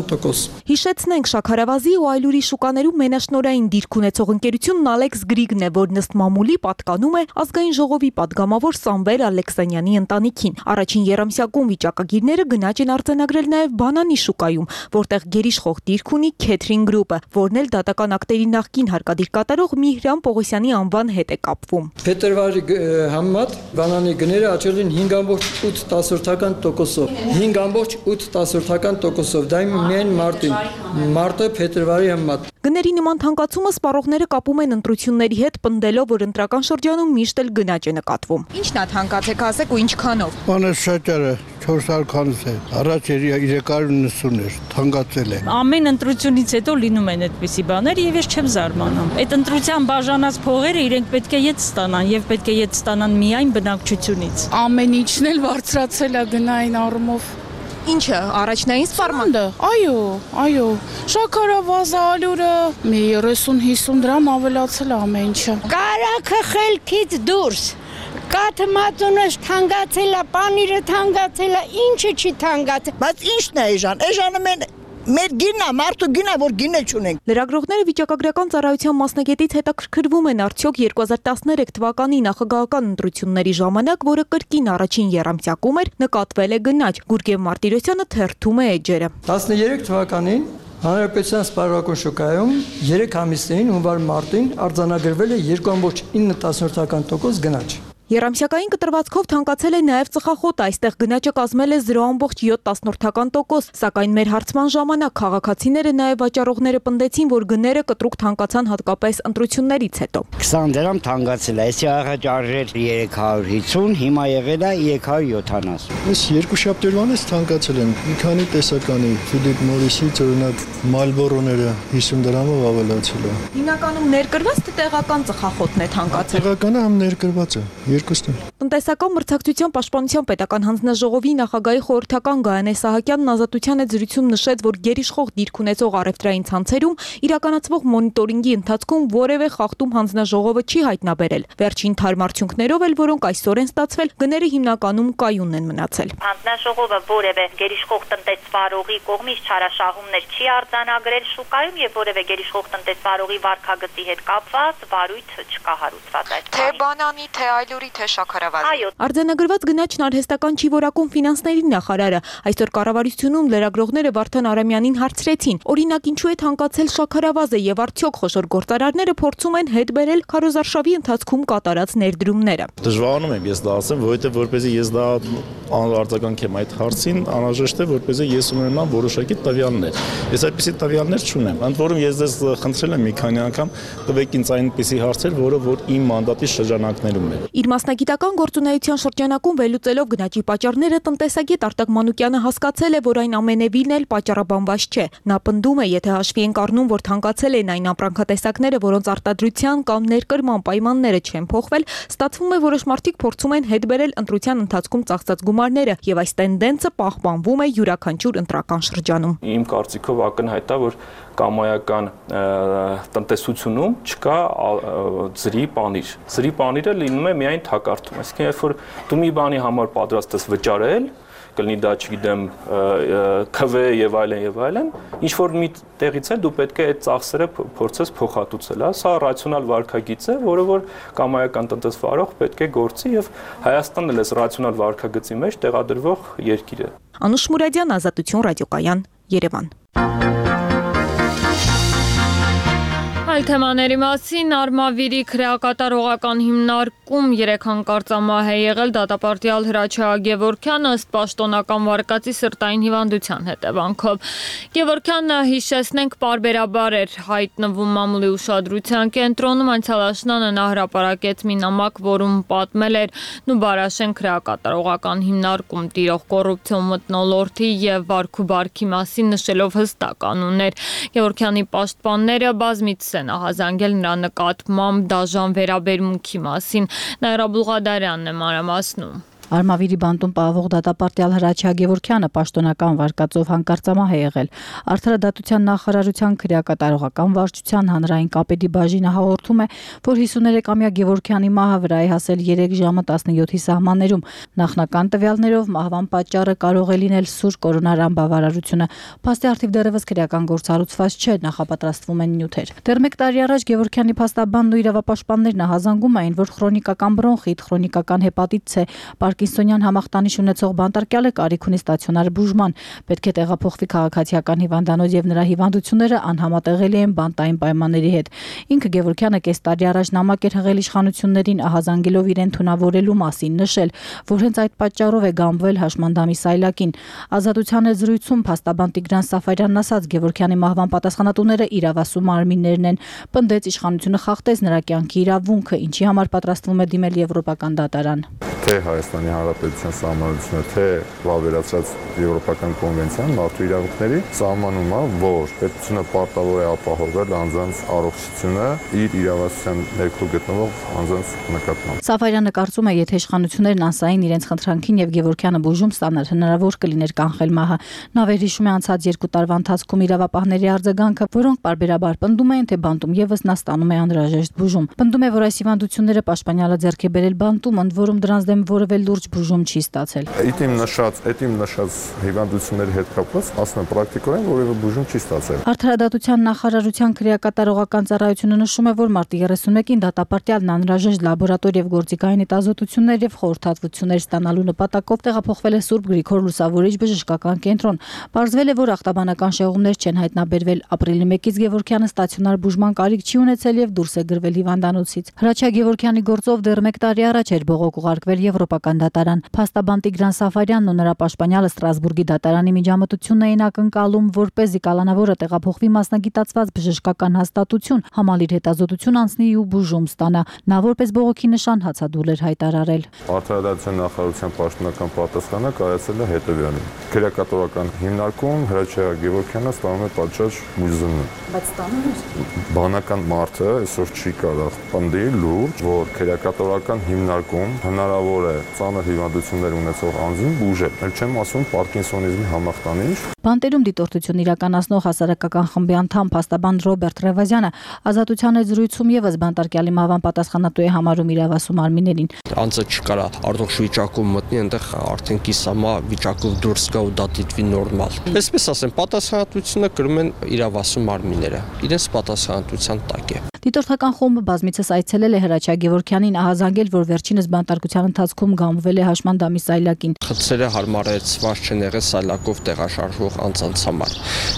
տոկոս։ Հիշեցնենք, շաքարավազի ու այլուրի շուկաներում մենաշնորհային դիրք ունեցող ընկերությունն Ալեքս Գրիգն է, որն ըստ մամուլի պատկանում է ազգային ժողովի պատգամավոր Սամվել Ալեքսանյանի ընտանիքին։ Առաջին եռամսյակում վիճակագիրները գնաճ են արձանագրել նաև բանանի շուկայում, որտեղ գերիշխող դիրք ունի Քեթրին գրուպը, որն էլ դատական ակտերի նախկին հարկադիր կատարող Միհրան Պողոսյանի անվան հետ է կապվում։ Փետրվարի համեմատ բանանի գները աճել են հինգ կόμma ութ տոկոսով։ հինգ կόμma ութ տոկոսով, դա միայն մարտին։ Մարտը փետրվարի համեմատ։ Գների նման թանկացումը սպառողները կապում են ընտրությունների հետ, պնդելով, որ ընտրական շրջանում միշտ էլ գնաճ է նկատվում։ Ինչն է թանկացեք, ասեք ու ինչքանով։ Բանը շաճարը չորս հարյուր քանս է, առաջ էր երեք հարյուր նվսուն էր, թանկացել է։ Ամեն ընտրությունից հետո լինում են այդպիսի բաներ եւ ես չեմ զարմանում։ Այդ ընտրության բաժանած փողերը իրենք պետք է ետ ստանան եւ պետք է ետ ստանան միայն բնակչությունից։ Ամեն ինչն էլ բարձրացել է գնային առումով։ Ինչը, առաջնային սպառմանը։ Այո, այո, շաքարավազը, ալյուրը մի երեսուն հիսուն դրամ ավելացել է ամեն ինչը։ Կարակը խելքից դուրս։ Կաթը մածունս թանկացել է, պանիրը թանկացել է, ինչը չի թանկացել։ Բայց ինչն է էժան, էժանը մեն մեր գինա, մարդու գինա, որ գինը չունենք։ Լրագրողները վիճակագրական ծառայության մասնագետից հետաքրքրվում են արդյոք երկու հազար տասներեք թվականի նախագահական ընտրությունների ժամանակ, որը կրկին առաջին եռամսյակում էր, նկատվել է գնաճ։ Գուրգեն Մարտիրոսյանը թերթում է էջերը։ տասներեք թվականին Հանրապետության սպառողական շուկայում երեք ամիսներին հունվար-մարտին արձանագրվել է երկու կόμma ինը տոկոս գնաճ։ Եռամսյակային կտրվածքով թանկացել է նաև ծխախոտը, այստեղ գնաճը կազմել է զրո կόμma յոթ տոկոս, սակայն մեր հարցման ժամանակ քաղաքացիները նաև վաճառողները պնդեցին, որ գները կտրուկ թանկացան հատկապես ընտրություններից հետո։ քսան դրամ թանկացել է, այսի առաջ արժեր երեք հարյուր հիսուն, հիմա եղել է երեք հարյուր յոթանասուն։ Այս երկու շաբթերվանից թանկացել են, մի քանի տեսականի, Ֆիլիպ Մորիսից օրինակ Մալբորոները հիսուն դրամով ավելացել է։ Հիմնականում ներկրված թե տեղական ծխախոտն է թանկացել։ Տեղականը համ ներկրված է։ Տնտեսական մրցակցության պաշտպանության պետական հանձնաժողովի նախագահի խորհրդական Գայանե Սահակյանն Ազատության հետ զրույցում նշեց, որ գերիշխող դիրք ունեցող առևտրային ցանցերում իրականացվող մոնիտորինգի ընթացքում որևէ խախտում հանձնաժողովը չի հայտնաբերել։ Վերջին թարմ արդյունքներով էլ, որոնք այսօր են ստացվել, գները հիմնականում կայունն են մնացել։ Հանձնաժողովը որևէ գերիշխող տնտեսվարողի կողմից չարաշահումներ չի արձանագրել շուկայում եւ որևէ գերիշխող տնտեսվարողի վարկագծի հետ կապված վարույթ չկա հարուցված այդ։ Թե բանանի, թե այլուրի, թե շաքարավազի։ Արձանագրված գնաճն արհեստական չի որակում ֆինանսների նախարարը։ Այսօր կառավարությունում լրագրողները Վարդան Արամյանին հարցրեցին. օրինակ, ինչու է թանկացել շաքարավազը եւ արդյոք խոշոր գործարարները փորձում են հետ բերել քարոզարշավի ընթացքում կատարած ներդրումները։ Դժվարանում եմ ես դա ասեմ, որովհետեւ որպեսզի ես դա արձագանքեմ այդ հարցին, անհրաժեշտ է որպեսզի ես ունենամ որոշակի տվյալներ։ Ես այդպիսի տվյալներ չունեմ։ Ընդ որում ես ձեզ խնդրել եմ մի քանի անգամ տվեք ինձ այնպիսի հարցեր, որը որ իմ մանդատի շրջանակներում է։ Իր մասնագիտական գործունեության շրջանակում վերլուծելով գնաճի պատճառները տնտեսագետ Արտակ Մանուկյանը հասկացել է, որ այն ամենևին էլ պատճառաբանված չէ։ Նա պնդում է, եթե հաշվի ենք առնում, որ թանկացել են այն ապրանքատեսակները, որոնց արտադրության կամ ներկրման պայմանները չեն փոխվել, ստացվում է, որոշ մարդիկ փորձում են հետ բերել ընտրության ընթացքում ծախսած գումարները, եւ այս տենդենսը պահպանվում է յուրաքանչյուր ընտրական շրջանում։ Իմ կարծիքով ակնհայտ է, որ կամայական տնտեսությունում չկա ծրի պանիր։ Ծրի պանիրը լինում է միայն թակարդում։ Այսինքն, երբ որ դու մի բանի համար պատրաստ ես վճարել, կլինի դա, չգիտեմ, քվ եւ այլն եւ այլն, ինչ որ մի տեղից էլ դու պետք է այդ ծախսերը փորձես փոխհատուցել, հա, սա ռացիոնալ վարքագիծ է, որը որ կամայական տնտեսվարող պետք է գործի եւ Հայաստանն էլ է ռացիոնալ վարքագծի մեջ տեղադրվող երկիր է։ Անուշ Մուրադյան, Ազատություն ռադիոկայան, Երևան։ Այլ թեմաների մասին Արմավիրի քրեակատարողական հիմնարկում երեք հանկարծամահ է եղել դատապարտյալ Հրաչյա Գևորգյանը ըստ պաշտոնական վարկածի սրտային հիվանդության հետևանքով։ Գևորգյանը, հիշեցնենք, պարբերաբար էր հայտնվում մամուլի ուշադրության կենտրոնում, անցյալ աշնանը նա հրապարակեց մի նամակ, որում պատմել էր Նուբարաշեն քրեակատարողական հիմնարկում տիրող կոռուպցիոն մթնոլորտի եւ վարք ու բարքի մասին, նշելով հստակ կանոններ։ Գևորգյանի պաշտպանները բազմիցս են ահազանգել նրա նկատմամբ դաժան վերաբերմունքի մասին։ Նաիրա Բուլղադարյանն է մանրամասնում։ Արմավիրի բանտում պահվող դատապարտյալ Հրաչյա Գևորգյանը պաշտոնական վարկածով հանկարծամահ է եղել։ Արդարադատության նախարարության քրեակատարողական վարչության հանրային կապերի բաժինը հաղորդում է, որ հիսուներեքամյա Գևորգյանի մահը վրա է հասել երեք ժամը տասնյոթի սահմաններում։ Նախնական տվյալներով մահվան պատճառը կարող է լինել սուր կորոնարան բավարարությունը։ Փաստի առթիվ դեռևս քրեական գործառուցված չէ, նախապատրաստվում են նյութեր։ Դեռ մեկ տարի առաջ Գևորգյանի փաստաբանն ու իրավապաշտպաններն ահազանգում էին, որ քրոնիկական բրոնխիտ, քրոնիկական հեպատիտ C, Պարկինսոնյան համախտանիշ ունեցող բանտարկյալը կարիք ունի ստացիոնար բուժման, պետք է տեղափոխվի քաղաքացիական հիվանդանոց եւ նրա հիվանդությունները անհամատեղելի են բանտային պայմանների հետ։ Ինքը Գևորգյանը կես տարի առաջ նամակ էր հղել իշխանություններին ահազանգելով իրեն թունավորելու մասին, նշել, որ հենց այդ պատճառով է գամբվել հաշմանդամի սայլակին։ Ազատության զրույցում փաստաբան Տիգրան Սաֆարյանն ասաց, Գևորգյանի մահվան պատասխանատուները իրավասու մարմիններն են, պնդեց իշխանությունը խախտեց նրա կյանքի իրավունքը, ինչի համար պատրաստվում է դիմել եվրոպական դատարան։ Թե Հայաստանի Հանրապետության սահմանությունը, թե վավերացած Եվրոպական կոնվենցիան մարդու իրավունքների սահմանում է, որ պետությունը պարտավոր է ապահովել անձանց առողջությունը իր իրավասության ներքո գտնվող անձանց նկատմամբ։ Սաֆարյանը կարծում է, եթե իշխանություններն անսային իրենց խնդրանքին եւ Գևորգյանը բուժում ստանար, հնարավոր կլիներ կանխել մահը։ Նա վերհիշում է անցած երկու տարվա ընթացքում իրավապահների արձագանքը, որոնք պարբերաբար պնդում էին, թե բանտում եւս նա ստանում է անհրաժեշտ բուժում։ Պնդում է, որ այս հիվանդությունները պաշտպանյալը ձեռք է բերել բանտում, ընդ որում դրանց դեմ որևէ լուրջ բուժում չի ստացել։ Իդիմ նշած, իդիմ նշած հիվանդությունների հետ կապված, ասում եմ, պրակտիկորեն որևէ բուժում չի ստացել։ Արդարադատության նախարարության քրեակատարողական ծառայությունը նշում է, որ մարտի երեսունմեկին դատապարտյալն անհրաժեշտ լաբորատոր եւ գործիքային հետազոտություններ եւ խորհրդատվություններ ստանալու նպատակով տեղափոխվել է Սուրբ Գրիգոր Լուսավորիչ բժշկական կենտրոն։ Պարզվել է, որ ախտաբանական շեղումներ չեն հայտնաբերվել։ Ապրիլի մեկից Գևորգյանը ստացիոնար բուժման կարիք չի ունեցել եւ դուրս է գրվել հիվանդանոցից։ Հրաչյա Գևորգյանի գործով դեռ մեկ տարի առաջ էր բողոք ուղարկվել Եվրոպական դատարան։ Փաստաբան Տիգրան Սաֆարյանն ու նրա պաշտպանյալը Ստրասբուրգի դատարանի միջամտությունն էին ակնկալում, որպեսզի կալանավորը տեղափոխվի մասնագիտացված բժշկական հաստատություն, համալիր հետազոտություն անցնի ու բուժում ստանա։ Նա որպես բողոքի նշան հացադուլ էր հայտարարել։ Արդարադատության նախարարության պաշտոնական պատասխանը կայացել է հետևյալին։ Քրեակատարողական հիմնարկում Հրաչյա Գևորգյանը ստանում է պատշաճ բուժում։ Բայց ստանում է։ Բանական մարդը այսօր չի կարող պնդել լուրջ, որ քրեակատարողական հիմնարկում հնարավոր է ծանր հիվանդություններ ունեցող անձին բուժել։ Էլ չեմ ասում Պարկինսոնիզմի համախտանիշ։ Բանտերում դիտորդություն իրականացնող հասարակական խմբի անդամ փաստաբան Ռոբերտ Ռևազյանը ազատության զրույցում եւս բանտարկյալի մահվան պատասխանատու է համարում իրավասու մարմիններին։ Անձը չկարա առողջ վիճակում մտնի, այնտեղ արդեն կիսամա վիճակով դուրս գա ու դա դիտվի նորմալ։ Այսպես ասեմ, պատասխանատվությունը կրում են իրավասու մարմինները։ Իրենց պատասխանատվության տակ է։ Դիտորդական խումբը բազմիցս այցելել է Հրաչյա Գևորգյանին, ահազանգել, որ վերջինս բանտարկության ընթացքում գամվել է հաշմանդամի սայլակին։ Խցերը հարմարեցված չեն եղել սայլակով տեղաշարժվող անձանց համար։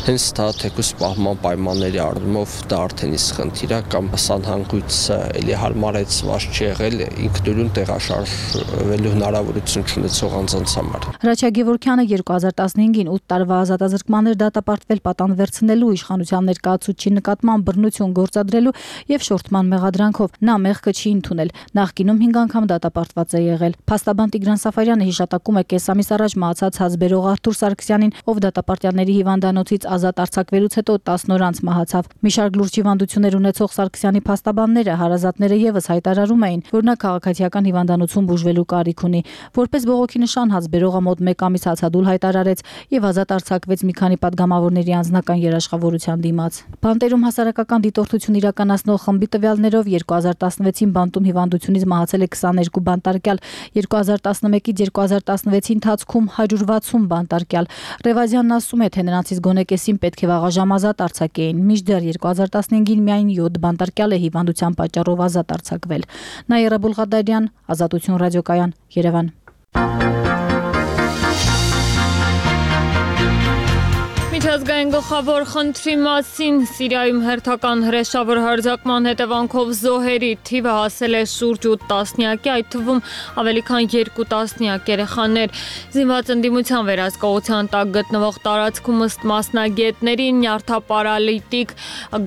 Հենց դա թեկուզ պահման պայմանների առումով դա արդեն իսկ խնդիր է կամ սանհանգույցը էլի հարմարեցված չի եղել ինքնուրույն տեղաշարժվելու հնարավորություն չունեցող անձանց համար։ Հրաչյա Գևորգյանը երկու հազար տասնհինգին ութ տարվա ազատազրկման էր դատապարտվել պատան վերցնելու, իշխանության ներկայացուցչի նկատմամբ բռնություն գործադրելու եւ շորթման մեղադրանքով։ Նա մեղքը չի ընդունել։ Նախկինում հինգ անգամ դատապարտված է եղել։ Փաստաբան Տիգրան Սաֆարյանը հիշատակում է կես ամիս առաջ մահացած հազբերող Արթուր Սարգսյանին, ով դատապարտյալների հիվանդանոցից ազատ արձակվելուց հետո տասն օր անց մահացավ։ Մի շարք լուրջ հիվանդություններ ունեցող Սարգսյանի փաստաբանները, հարազատները եւս հայտարարում էին, որ նա քաղաքացիական հիվանդանոցում բուժվելու կարիք ունի։ Որպես բողոքի նշան հազբերողը մոտ մեկ ամիս հացադուլ հայտարարեց եւ ազատ արձակվեց մի քանի պատգամավորների անձնական երաշխավորության դիմաց։ Բանտերում հասարակական դիտորդություն իրականացնող խմբի տվյալներով երկու հազար տասնվեցին բանտում հիվանդությունից մահացել է քսաներկու բանտարկյալ, երկու հազար տասնմեկից երկու հազար տասնվեցի ընթացքում հարյուր վաթսուն բանտարկյալ։ Ռևազյանն ասում է, թե նրանցից գոնե կեսին պետք է վաղաժամ ազատ արձակեին, մինչդեռ երկու հազար տասնհինգին միայն յոթ բանտարկյալ է հիվանդության պատճառով ազատ արձակվել։ Նաիրա Բուլղադարյան, Ազատություն ռադիոկայան, Երևան։ Միջազգային գլխավոր խնդրի մասին Սիրիայում հերթական հրեշավոր հարձակման հետևանքով զոհերի թիվը հասել է շուրջ ութ տասնյակի, այդ թվում ավելի քան երկու տասնյակ երեխաներ։ Զինված ընդդիմության վերահսկողության տակ գտնվող տարածքում ըստ մասնագետների նյարդապարալիտիկ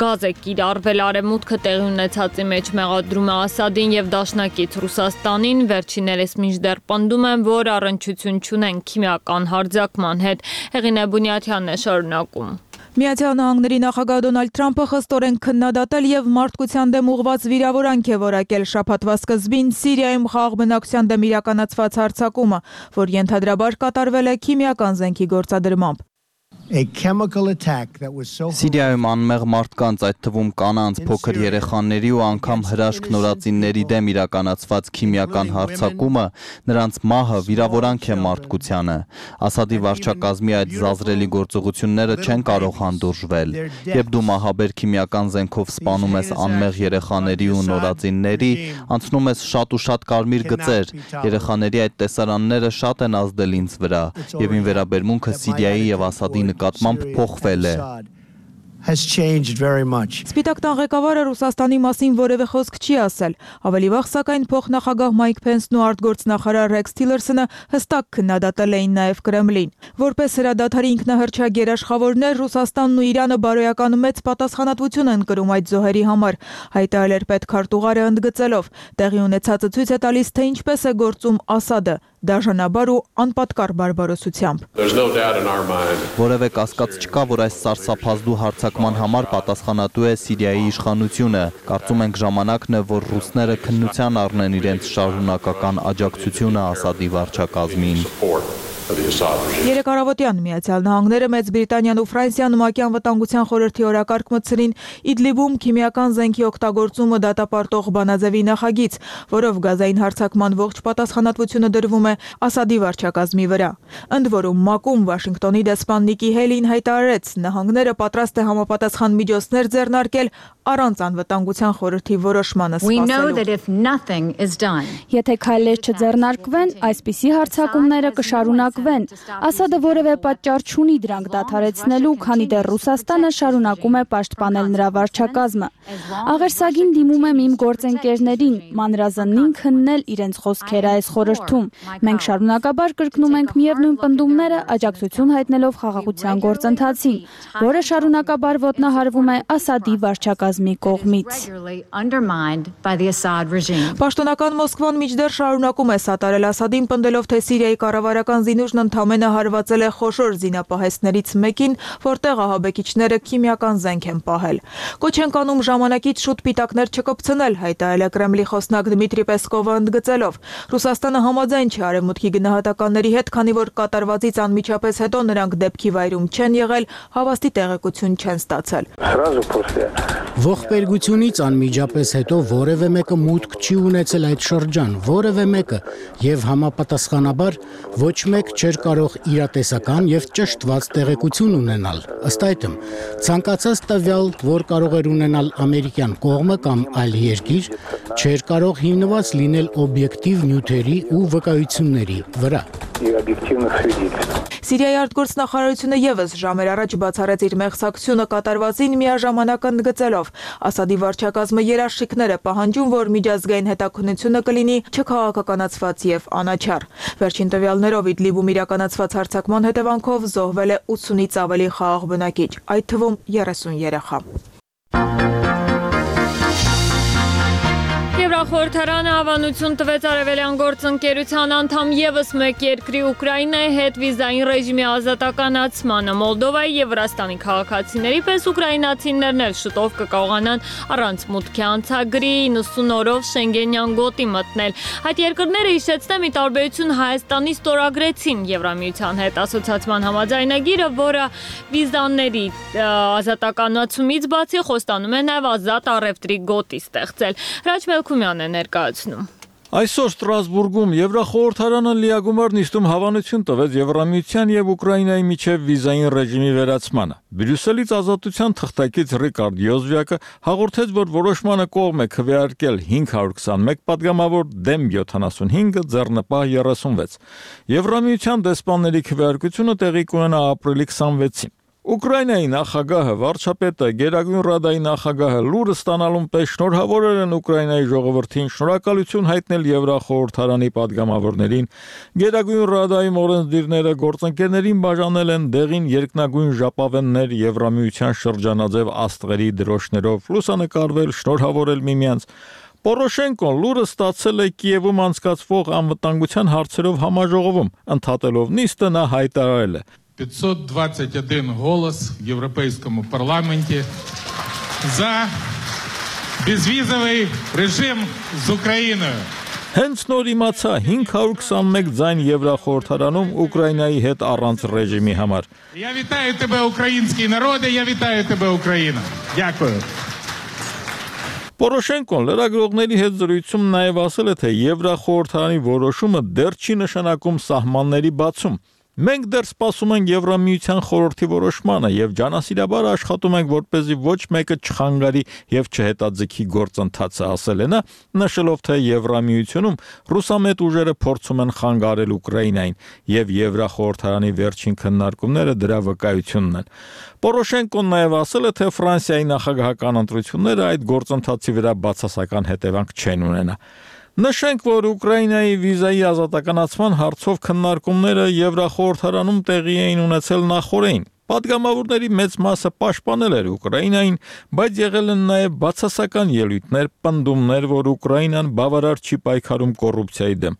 գազ է կիրառվել։ Արևմուտքը տեղի ունեցածի մեջ մեղադրում է Ասադին եւ դաշնակից Ռուսաստանին, վերջիններս մինչդեռ պնդում են, որ առնչություն չունեն քիմիական հարձակման հետ։ Հեղինե Բունյաթյանն է շարունակում։ Միացյալ Նահանգների նախագահ Դոնալդ Թրամփը խստորեն քննադատել եւ մարդկության դեմ ուղղված վիրավորանք է որակել շաբաթվա սկզբին Սիրիայում խաղաղ բնակչության դեմ իրականացված հարձակումը, որ ենթադրաբար կատարվել է քիմիական զենքի գործադրմամբ։ Սիրիայում անմեղ մարդկանց, այդ թվում կանանց, փոքր երեխաների ու անգամ հրաշք նորածինների դեմ իրականացված քիմիական հարձակումը, նրանց մահը վիրավորանք է մարդկությանը։ Ասադի վարչակազմի այդ զազրելի գործողությունները չեն կարող հանդուրժվել։ Երբ դու մահաբեր քիմիական զենքով սպանում ես անմեղ երեխաների ու նորածինների, անցնում ես շատ ու շատ կարմիր գծեր։ Երեխաների այդ տեսարանները շատ են ազդել ինձ վրա, եւ իմ վերաբերմունքը Սիրիայի եւ Ասադի նկատմամբ փոխվել է։ Սպիտակ տան ղեկավարը Ռուսաստանի մասին որևէ խոսք չի ասել։ Ավելի վաղ, սակայն, փոխնախագահ Մայք Փենսն ու արտգործնախարար Ռեքս Թիլերսոնը հստակ քննադատել էին նաև Կրեմլին։ Որպես հրադադարի ինքնահռչակ երաշխավորներ, Ռուսաստանն ու Իրանը բարոյական մեծ պատասխանատվություն են կրում այդ զոհերի համար, հայտարարել էր պետքարտուղարը ընդգծելով։ Տեղի ունեցածը ցույց է տալիս, թե ինչպես է գործում Ասադը, դաժանաբար ու անպատկառ բարբարոսությամբ։ Որևէ կասկած չկա, որ այս սարսափազդու հարձակման համար պատասխանատու է Սիրիայի իշխանությունը։ Կարծում ենք ժամանակն է, որ ռուսները քննության առնեն իրենց շարունակական աջակցությունը Ասադի վարչակազմին։ Երեք առավոտյան Միացյալ Նահանգները, Մեծ Բրիտանիան ու Ֆրանսիան ՄԱԿ-ի անվտանգության խորհրդի օրակարգ մտցրին Իդլիբում քիմիական զենքի օգտագործումը դատապարտող բանաձևի նախագիծ, որով գազային հարձակման ողջ պատասխանատվությունը դրվում է Ասադի վարչակազմի վրա։ Ընդ որում ՄԱԿ-ում Վաշինգտոնի դեսպան Նիկի Հեյլին հայտարարեց, նահանգները պատրաստ է համապատասխան միջոցներ ձեռնարկել առանց անվտանգության խորհրդի որոշմանը սպասելու։ Եթե քայլեր չձեռնարկվեն, այսպիսի հարձակումները կշարունակվեն։ Ասադը որևէ պատճառ չունի դրանք դադարեցնելու, քանի դեռ Ռուսաստանը շարունակում է պաշտպանել նրա վարչակազմը։ Աղերսագին դիմում եմ իմ գործընկերներին, մանրազնին քննել իրենց խոսքերը այս խորհրդում։ Մենք շարունակաբար կրկնում ենք միևնույն պնդումները, աջակցություն հայտնելով խաղաղության գործընթացին, որը շարունակաբար ոտնահարվում է Ասադի վարչակազմի կողմից։ Պաշտոնական Մոսկվան մինչդեռ շարունակում է սատարել Ասադին, պնդելով, թե Սիրիայի կառավարական զինուժն ընդամենը հարվածել է խոշոր զինապահեստներից մեկին, որտեղ ահաբեկիչները քիմիական զենք են պահել։ Կոչ են կանում ժամանակից շուտ պիտակներ չկպցնել, հայտարարել է Կրեմլի խոսնակ Դմիտրի Պեսկովը ընդգծելով։ Ռուսաստանը համաձայն չէ արևմուտքի գնահատականների հետ, քանի որ կատարվածից անմիջապես հետո նրանք դեպքի վայրում չեն եղել, հավաստի տեղեկություն չեն ստացել։ Ողբերգությունից անմիջապես հետո որևէ մեկը մուտք չի ունեցել այդ շրջան, որևէ մեկը, եւ համապատասխանաբար ոչ մեկ չէր կարող իրատեսական եւ ճշտված տեղեկություն ունենալ։ Ըստ այդմ, ցանկացած տվյալ, որ կարող էր ունենալ ամերիկյան կողմը կամ այլ երկիր, չէր կարող հիմնված լինել օբյեկտիվ նյութերի ու վկայությունների վրա։ Սիրիայի արտգործնախարարությունը եւս ժամեր առաջ բացառեց իր մեղսակցությունը կատարվածին, միաժամանակ ընդգծելով. Ասադի վարչակազմը երաշխիքներ է պահանջում, որ միջազգային հետաքննությունը կլինի չքաղաքականացված եւ անաչառ։ Վերջին տվյալներով Իդլիբում իրականացված հարձակման հետևանքով զոհվել է ութսունից ավելի խաղաղ բնակիչ, այդ թվում երեսուն երեխա։ Եվրախորհրդարանը հավանություն տվեց արևելյան գործընկերության անդամ ևս մեկ երկրի Ուկրաինայի հետ վիզային ռեժիմի ազատականացմանը։ Մոլդովայի եւ Վրաստանի քաղաքացիների պես ուկրաինացիներն էլ շուտով կկարողանան առանց մուտքի անցագրի իննսուն օրով Շենգենյան գոտի մտնել։ Այդ երկրները հիշեցնեմ ի տարբերություն Հայաստանի ստորագրեցին Եվրամիության հետ ասոցիացիան համաձայնագիրը, որը վիզաների ազատականացումից բացի խոստանում է նաեւ ազատ առևտրի գոտի ստեղծել։ Հրաչ Մելքումյանն է ներկայացնում։ Այսօր Ստրասբուրգում Եվրախորհրդարանը լիագումար նիստում հավանություն տվեց Եվրամիության եւ Ուկրաինայի միջև վիզային ռեժիմի վերացմանը։ Բրյուսելից ազատության թղթակից Ռիկարդ Յոզվյակը հաղորդեց, որ որոշմանը կողմ է քվեարկել հինգ հարյուր քսանմեկ պատգամավոր դեմ յոթանասունհինգը ձեռնպահ երեսունվեց։ Եվրամիության դեսպանների քվեարկությունը տեղի կունենա ապրիլի քսանվեցին։ Ուկրաինայի նախագահը, վարչապետը, Գերագույն ռադայի նախագահը լուրը ստանալուն պես շնորհավորել են Ուկրաինայի ժողովրդին, շնորհակալություն հայտնել Եվրախորհրդարանի պատգամավորներին, Գերագույն ռադայի օրենսդիրները գործընկերներին բաժանել են դեղին երկնագույն ժապավեններ Եվրամիության շրջանաձև աստղերի դրոշներով, լուսանկարվել, շնորհավորել միմյանց։ Պորոշենկոն լուրը ստացել է Կիևում անցկացվող անվտանգության հարցերով համաժողովում, ընդհատելով նիստը նա հայտարարել է. пятьсот двадцать один голос в Европейском парламенте за безвизовый режим с Украиной. Հենց նոր իմացա հինգ հարյուր քսանմեկ ձայն Եվրախորհրդարանում Ուկրաինայի հետ առանց ռեժիմի համար։ Я вітаю тебе, український народе, я вітаю тебе, Україна. Дякую. Պորոշենկոն լրագրողների հետ զրույցում նաև ասել է, թե Եվրախորհրդարանի որոշումը դեռ չի նշանակում սահմանների բացում։ Մենք դեռ սպասում ենք Եվրամիության խորհրդի որոշմանը եւ ջանասիրաբար աշխատում ենք, որպեսզի ոչ մեկը չխանգարի եւ չհետաձգի գործընթացը, ասել է նա, նշելով, թե Եվրամիությունում ռուսամետ ուժերը փորձում են խանգարել Ուկրաինային եւ Եվրախորհրդարանի վերջին քննարկումները դրա վկայությունն են։ Պորոշենկոն նաև ասել է, թե Ֆրանսիայի նախագահական ընտրությունները այդ գործընթացի վրա բացասական հետևանք չեն ունենա։ Նշենք, որ Ուկրաինայի վիզայի ազատականացման հարցով քննարկումները Եվրախորհրդարանում տեղի էին ունեցել նախօրեին։ Պատգամավորների մեծ մասը պաշտպանել էր Ուկրաինային, բայց եղել են նաև բացասական ելույթներ, պնդումներ, որ Ուկրաինան բավարար չի պայքարում կոռուպցիայի դեմ։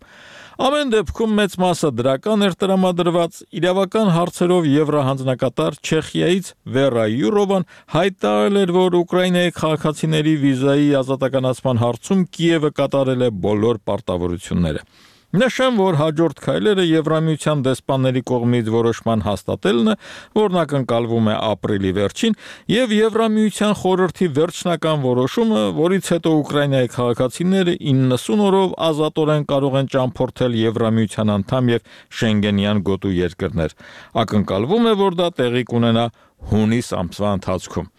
Ամեն դեպքում մեծ մասը դրական էր տրամադրված, իրավական հարցերով Եվրահանձնակատար Չեխիայից Վերա Յուրովան հայտարարել էր, որ Ուկրաինայի քաղաքացիների վիզայի ազատականացման հարցում Կիևը կատարել է բոլոր պարտավորությունները։ Նշեմ, որ հաջորդ քայլերը Եվրամիության դեսպանների կողմից որոշման հաստատելն է, որն ակնկալվում է ապրիլի վերջին, եւ Եվրամիության խորհրդի վերջնական որոշումը, որից հետո Ուկրաինայի քաղաքացիները իննսուն օրով ազատորեն կարող են ճամփորդել Եվրամիության անդամ եւ Շենգենյան գոտու երկրներ։ Ակնկալվում է, որ դա տեղի կունենա հունիս ամսվա ընթացքում։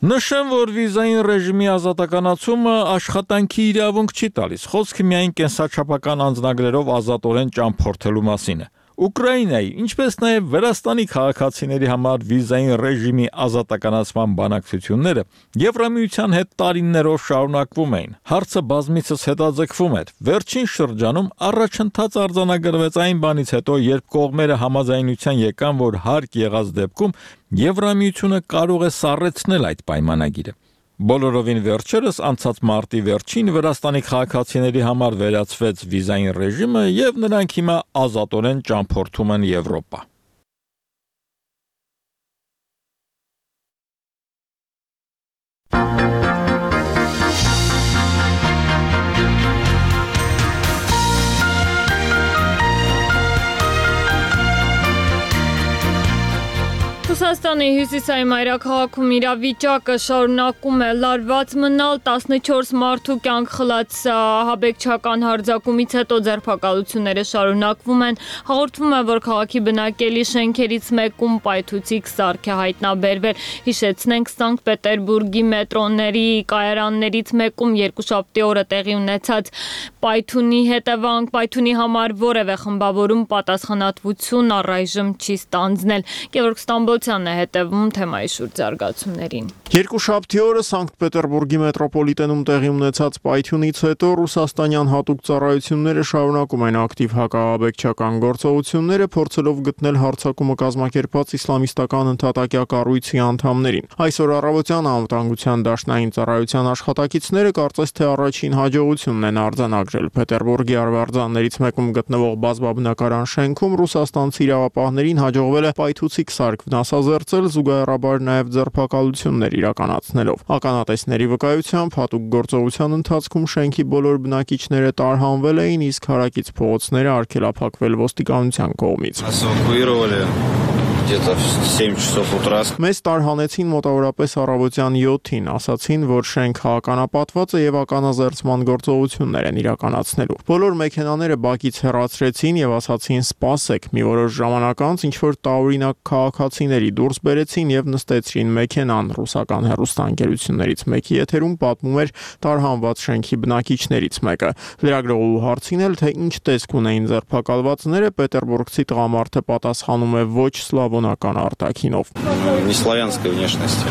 Նշեմ, որ վիզային ռեժիմի ազատականացումը աշխատանքի իրավունք չի տալիս, խոսքը միայն կենսաչափական անձնագրերով ազատորեն ճամփորդելու մասին է։ Ուկրաինայի, ինչպես նաև Վրաստանի քաղաքացիների համար վիզային ռեժիմի ազատականացման բանակցությունները Եվրամիության հետ տարիներով շարունակվում էին։ Հարցը բազմիցս հետաձգվում էր։ Վերջին շրջանում առաջընթաց արձանագրվեց այն բանից հետո, երբ կողմերը համաձայնության եկան, որ հարկ եղած դեպքում Եվրամիությունը կարող է սառեցնել այդ պայմանագիրը։ Բոլորովին վերջերս անցած մարտի վերջին Վրաստանի քաղաքացիների համար վերացվեց վիզային ռեժիմը եւ նրանք հիմա ազատորեն ճամփորդում են Եվրոպա։ Ռուսաստանի հյուսիսային մայրաքաղաքում իրավիճակը շարունակում է լարված մնալ, տասնչորս մարդու կյանք խլած ահաբեկչական հարձակումից հետո ձերբակալությունները շարունակվում են։ Հաղորդվում է, որ քաղաքի բնակելի շենքերից մեկում պայթուցիկ սարք է հայտնաբերվել։ Հիշեցնենք, Սանկտ Պետերբուրգի մետրոների կայարաններից մեկում երկուշաբթի օրը տեղի ունեցած պայթունի հետևանք պայթունի համար որևէ խմբավորում պատասխանատվություն առայժմ չի ստանձնել։ Գևորգ Ստամբոլցյանն է հետևում թեմայի շուրջ զարգացումներին։ Երկուշաբթի օրը Սանկտ Պետերբուրգի մետրոպոլիտենում տեղի ունեցած պայթյունից հետո ռուսաստանյան հատուկ ծառայությունները շարունակում են ակտիվ հակաահաբեկչական գործողությունները, փորձելով գտնել հարձակումը կազմակերպած իսլամիստական ընդհատակյա կառույցի անդամներին։ Այսօր առավոտյան անվտանգության դաշնային ծառայության աշխատակիցները կարծես թե առաջին հաջողությունն են արձանագրել։ Պետերբուրգի արվարձաններից մեկում գտնվող բազմաբնակարան շենքում ռուսաստանցի իրավապահներին հաջողվել է պայթուցիկ սարք վնասազերծել, զուգահեռաբար նաև ձերբակալություններ իրականացնելով։ Ականատեսների վկայությամբ հատուկ գործողության ընթացքում շենքի բոլոր բնակիչները տարհանվել էին, իսկ հարակից փողոցները արգելափակվել ոստիկանության կողմից։ Մեզ տարհանեցին մոտավորապես առավոտյան յոթին, ասացին, որ շենքը ականապատված է եւ ականազերծման գործողություններ են իրականացնելու։ Բոլոր մեքենաները բակից հեռացրեցին եւ ասացին սպասեք։ Մի որոշ ժամանակ անց ինչ որ տարօրինակ քաղաքացիների դուրս բերեցին եւ նստեցրին մեքենան։ Ռուսական հեռուստաընկերություններից մեկի եթերում պատմում էր տարհանված շենքի բնակիչներից մեկը։ Լրագրողու հարցին էլ թե ինչ տեսք ունեին ձերբակալվածները, պետերբուրգցի տղամարդը պատասխանում է ոչ սլավոնական արտաքինով։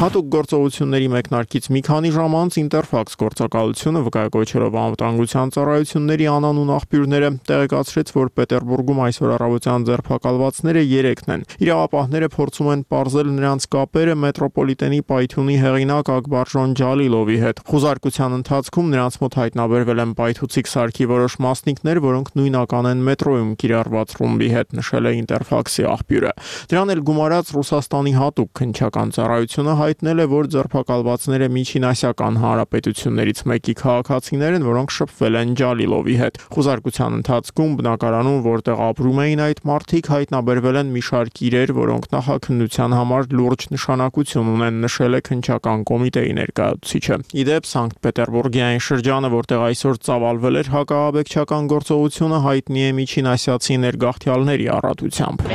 Հատուկ գործողությունների մեկնարկից մի քանի ժամ անց Ինտերֆաքս գործակալությունը վկայակոչելով անվտանգության ծառայությունների անանուն աղբյուրները տեղեկացրեց, որ Պետերբուրգում այսօր առավոտյան ձերբակալվածները երեքն են։ Իրավապահները փորձում են պարզել նրանց կապերը մետրոպոլիտենի պայթյունի հեղինակ Ակբարժոն Ջալիլովի հետ։ Խուզարկության ընթացքում նրանց մոտ հայտնաբերվել են պայթուցիկ սարքի որոշ մասնիկներ, որոնք նույնական են մետրոյում կիրառված ռումբի հետ, նշել է Ինտերֆաքսի աղբյուրը։ Դրան էլ գումարած Ռուսաստանի հատուկ քննչական ծառայությունը հայտնել է, որ ձերբակալվածները Միջինասիական հանրապետություններից մեկի քաղաքացիներ են, որոնք շփվել են Ջալիլովի հետ։ Խուզարկության ընթացքում բնակարանում, որտեղ ապրում էին այդ մարդիկ, հայտնաբերվել են մի շարք իրեր, որոնք նախաքննության համար լուրջ նշանակություն ունեն, նշել է քննչական կոմիտեի ներկայացուցիչը։ Իդեպ Սանկտ Պետերբուրգի այն шրջանը, որտեղ այսօր ծավալվել էր հակաահաբեկչական գործողությունը, հայտնի է միջինասիացի ներգաղթյալների առատությամբ։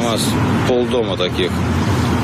Полдома таких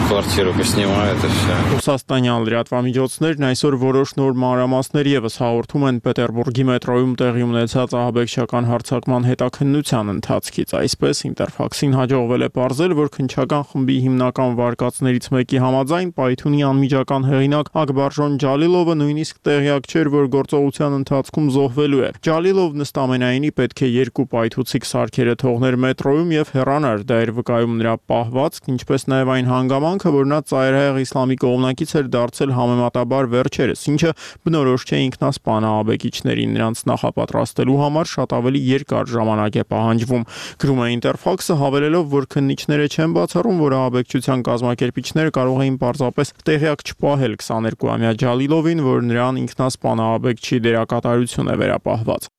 квартиру поснимают и все. Ռուսաստանյան լրատվամիջոցներն այսօր որոշ նոր մանրամասներ եւս հաղորդում են Պետերբուրգի մետրոյում տեղի ունեցած ահաբեկչական հարձակման հետաքննության ընթացքից։ Այսպես Ինտերֆաքսին հաջողվել է պարզել, որ քննչական խմբի հիմնական վարկածներից մեկի համաձայն պայթյունի անմիջական հեղինակ Ակբարժոն Ջալիլովը նույնիսկ տեղյակ չէր, որ գործողության ընթացքում զոհվելու է։ Ջալիլովն ըստ ամենայնի պետք է երկու պայթուցիկ սարքերը թողներ մետրոյում եւ հեռանար, դա էր վկայում նրա պահվածք, ինչպես նաեւ այն հանգամանքը, որ նա ծայրահեղ իսլամի կողմնակից էր դարձել համեմատաբար վերջերս, ինչը բնորոշ չէ ինքնասպան ահաբեկիչներին, նրանց նախապատրաստելու համար շատ ավելի երկար ժամանակ է պահանջվում։ Գրում է Ինտերֆաքսը, հավելելով, որ քննիչները չեն բացառում, որ ահաբեկչության կազմակերպիչները կարող էին պարզապես տեղյակ չպահել քսաներկուամյա Ջալիլովին, որ նրան ինքնասպան ահաբեկչի դերակատարություն է վերապահված։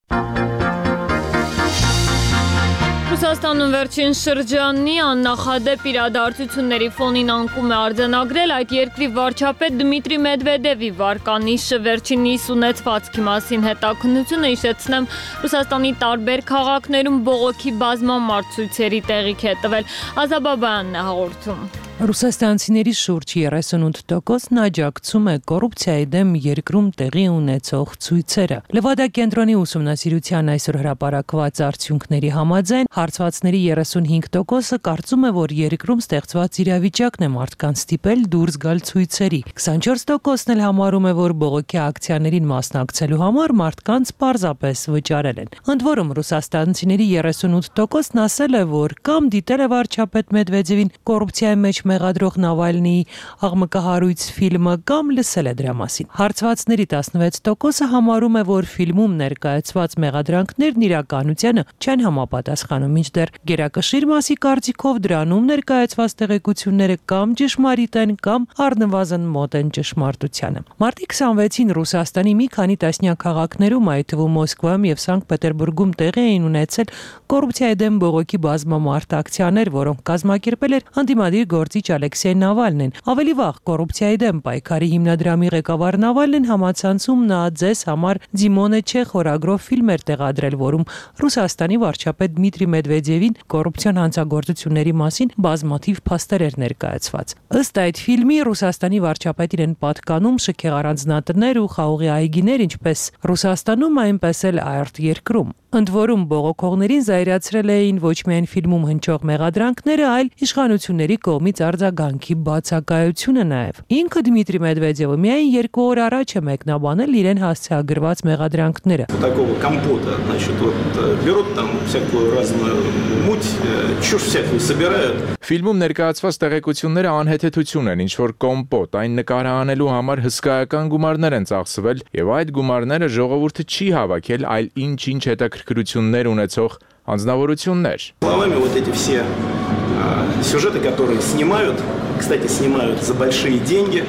Ռուսաստանում վերջին շրջանի աննախադեպ իրադարձությունների ֆոնին անկում է արձանագրել այդ երկրի վարչապետ Դմիտրի Մեդվեդևի վարկանիշը վերջինիս ունեցվածքի մասին հետաքննությունը, հիշեցնեմ, Ռուսաստանի տարբեր քաղաքներում բողոքի բազմամարդ ցույցերի տեղիք է տվել։ Ազաբաբյանն է հաղորդում։ Ռուսաստանցիների շուրջ երեսունութ տոկոսն աջակցում է կոռուպցիայի դեմ երկրում տեղի ունեցող ցույցերը։ Լևադա կենտրոնի ուսումնասիրության այսօր հրապարակված արդյունքների համաձայն հարցվածների երեսունհինգ տոկոսը կարծում է, որ երկրում ստեղծված իրավիճակն է մարդկանց ստիպել դուրս գալ ցույցերի։ քսանչորս տոկոսն էլ համարում է, որ բողոքի ակցիաներին մասնակցելու համար մարդկանց պարզապես վճարել են։ Ընդ որում ռուսաստանցիների երեսունութ տոկոսն ասել է, որ կամ դիտել է վարչապետ Մեդվեդևին կոռուպցիայի մեջ մեղադրող Նավալնիի աղմկահարույց ֆիլմը կամ լսել է դրա մասին։ Հարցվածների տասնվեց տոկոսը համարում է, որ ֆիլմում ներկայացված մեղադրանքներն իրականությանը չեն համապատասխանում, մինչդեռ գերակշիռ մասի կարծիքով դրանում ներկայացված տեղեկությունները կամ ճշմարիտ են, կամ առնվազն մոտ են ճշմարտությանը։ Մարտի քսանվեցին Ռուսաստանի մի քանի տասնյակ քաղաքներում, այդ թվում Մոսկվայում եւ Սանկտ Պետերբուրգում տեղի էին ունեցել կոռուպցիայի դեմ բողոքի բազմամարդ ակցիաներ, որոնք կազմակերպել էր ընդդիմադիր գործիչ Ալեքսեյ Նավալնին։ Ավելի վաղ կոռուպցիայի դեմ պայքարի հիմնադրամի ղեկավար Նավալնին համացանցում նա ձեզ համար Ձիմոնե չէ խորագրով ֆիլմ էր տեղադրել, որում Ռուսաստանի վարչապետ Դմիտրի Մեդվեդևին կոռուպցիոն հանցագործությունների մասին բազմաթիվ փաստեր էր ներկայացված։ Ըստ այդ ֆիլմի Ռուսաստանի վարչապետին են պատկանում շքեղ առանձնատներ ու խաղողի այգիներ, ինչպես Ռուսաստանում, այնպես էլ արտերկրում։ Ընդ որում բողոքողներին զայրացրել էին ոչ միայն ֆիլմում հնչող մեղադրանքները, այլ իշխանությունների կողմից արձագանքի բացակայությունը նաև։ Ինքը Դմիտրի Մեդվեդևը միայն երկու օր առաջ է մեկնաբանել իրեն հասցեագրված մեղադրանքները։ Такого компота, значит, вот берут там всякую разную муть, чушь всякую собирают. Ֆիլմում ներկայացված տեղեկությունները անհեթեթություն են, ինչ որ կոմպոտ, այն նկարահանելու համար հսկայական գումարներ են ծախսվել, եւ այդ գումարները ժողովուրդը չի հավաքել, այլ ինչ-ինչ հետաքրքրություններ ունեցող անձնավորություններ։ Словами вот эти все сюжеты, которые снимают, кстати, снимают за большие деньги.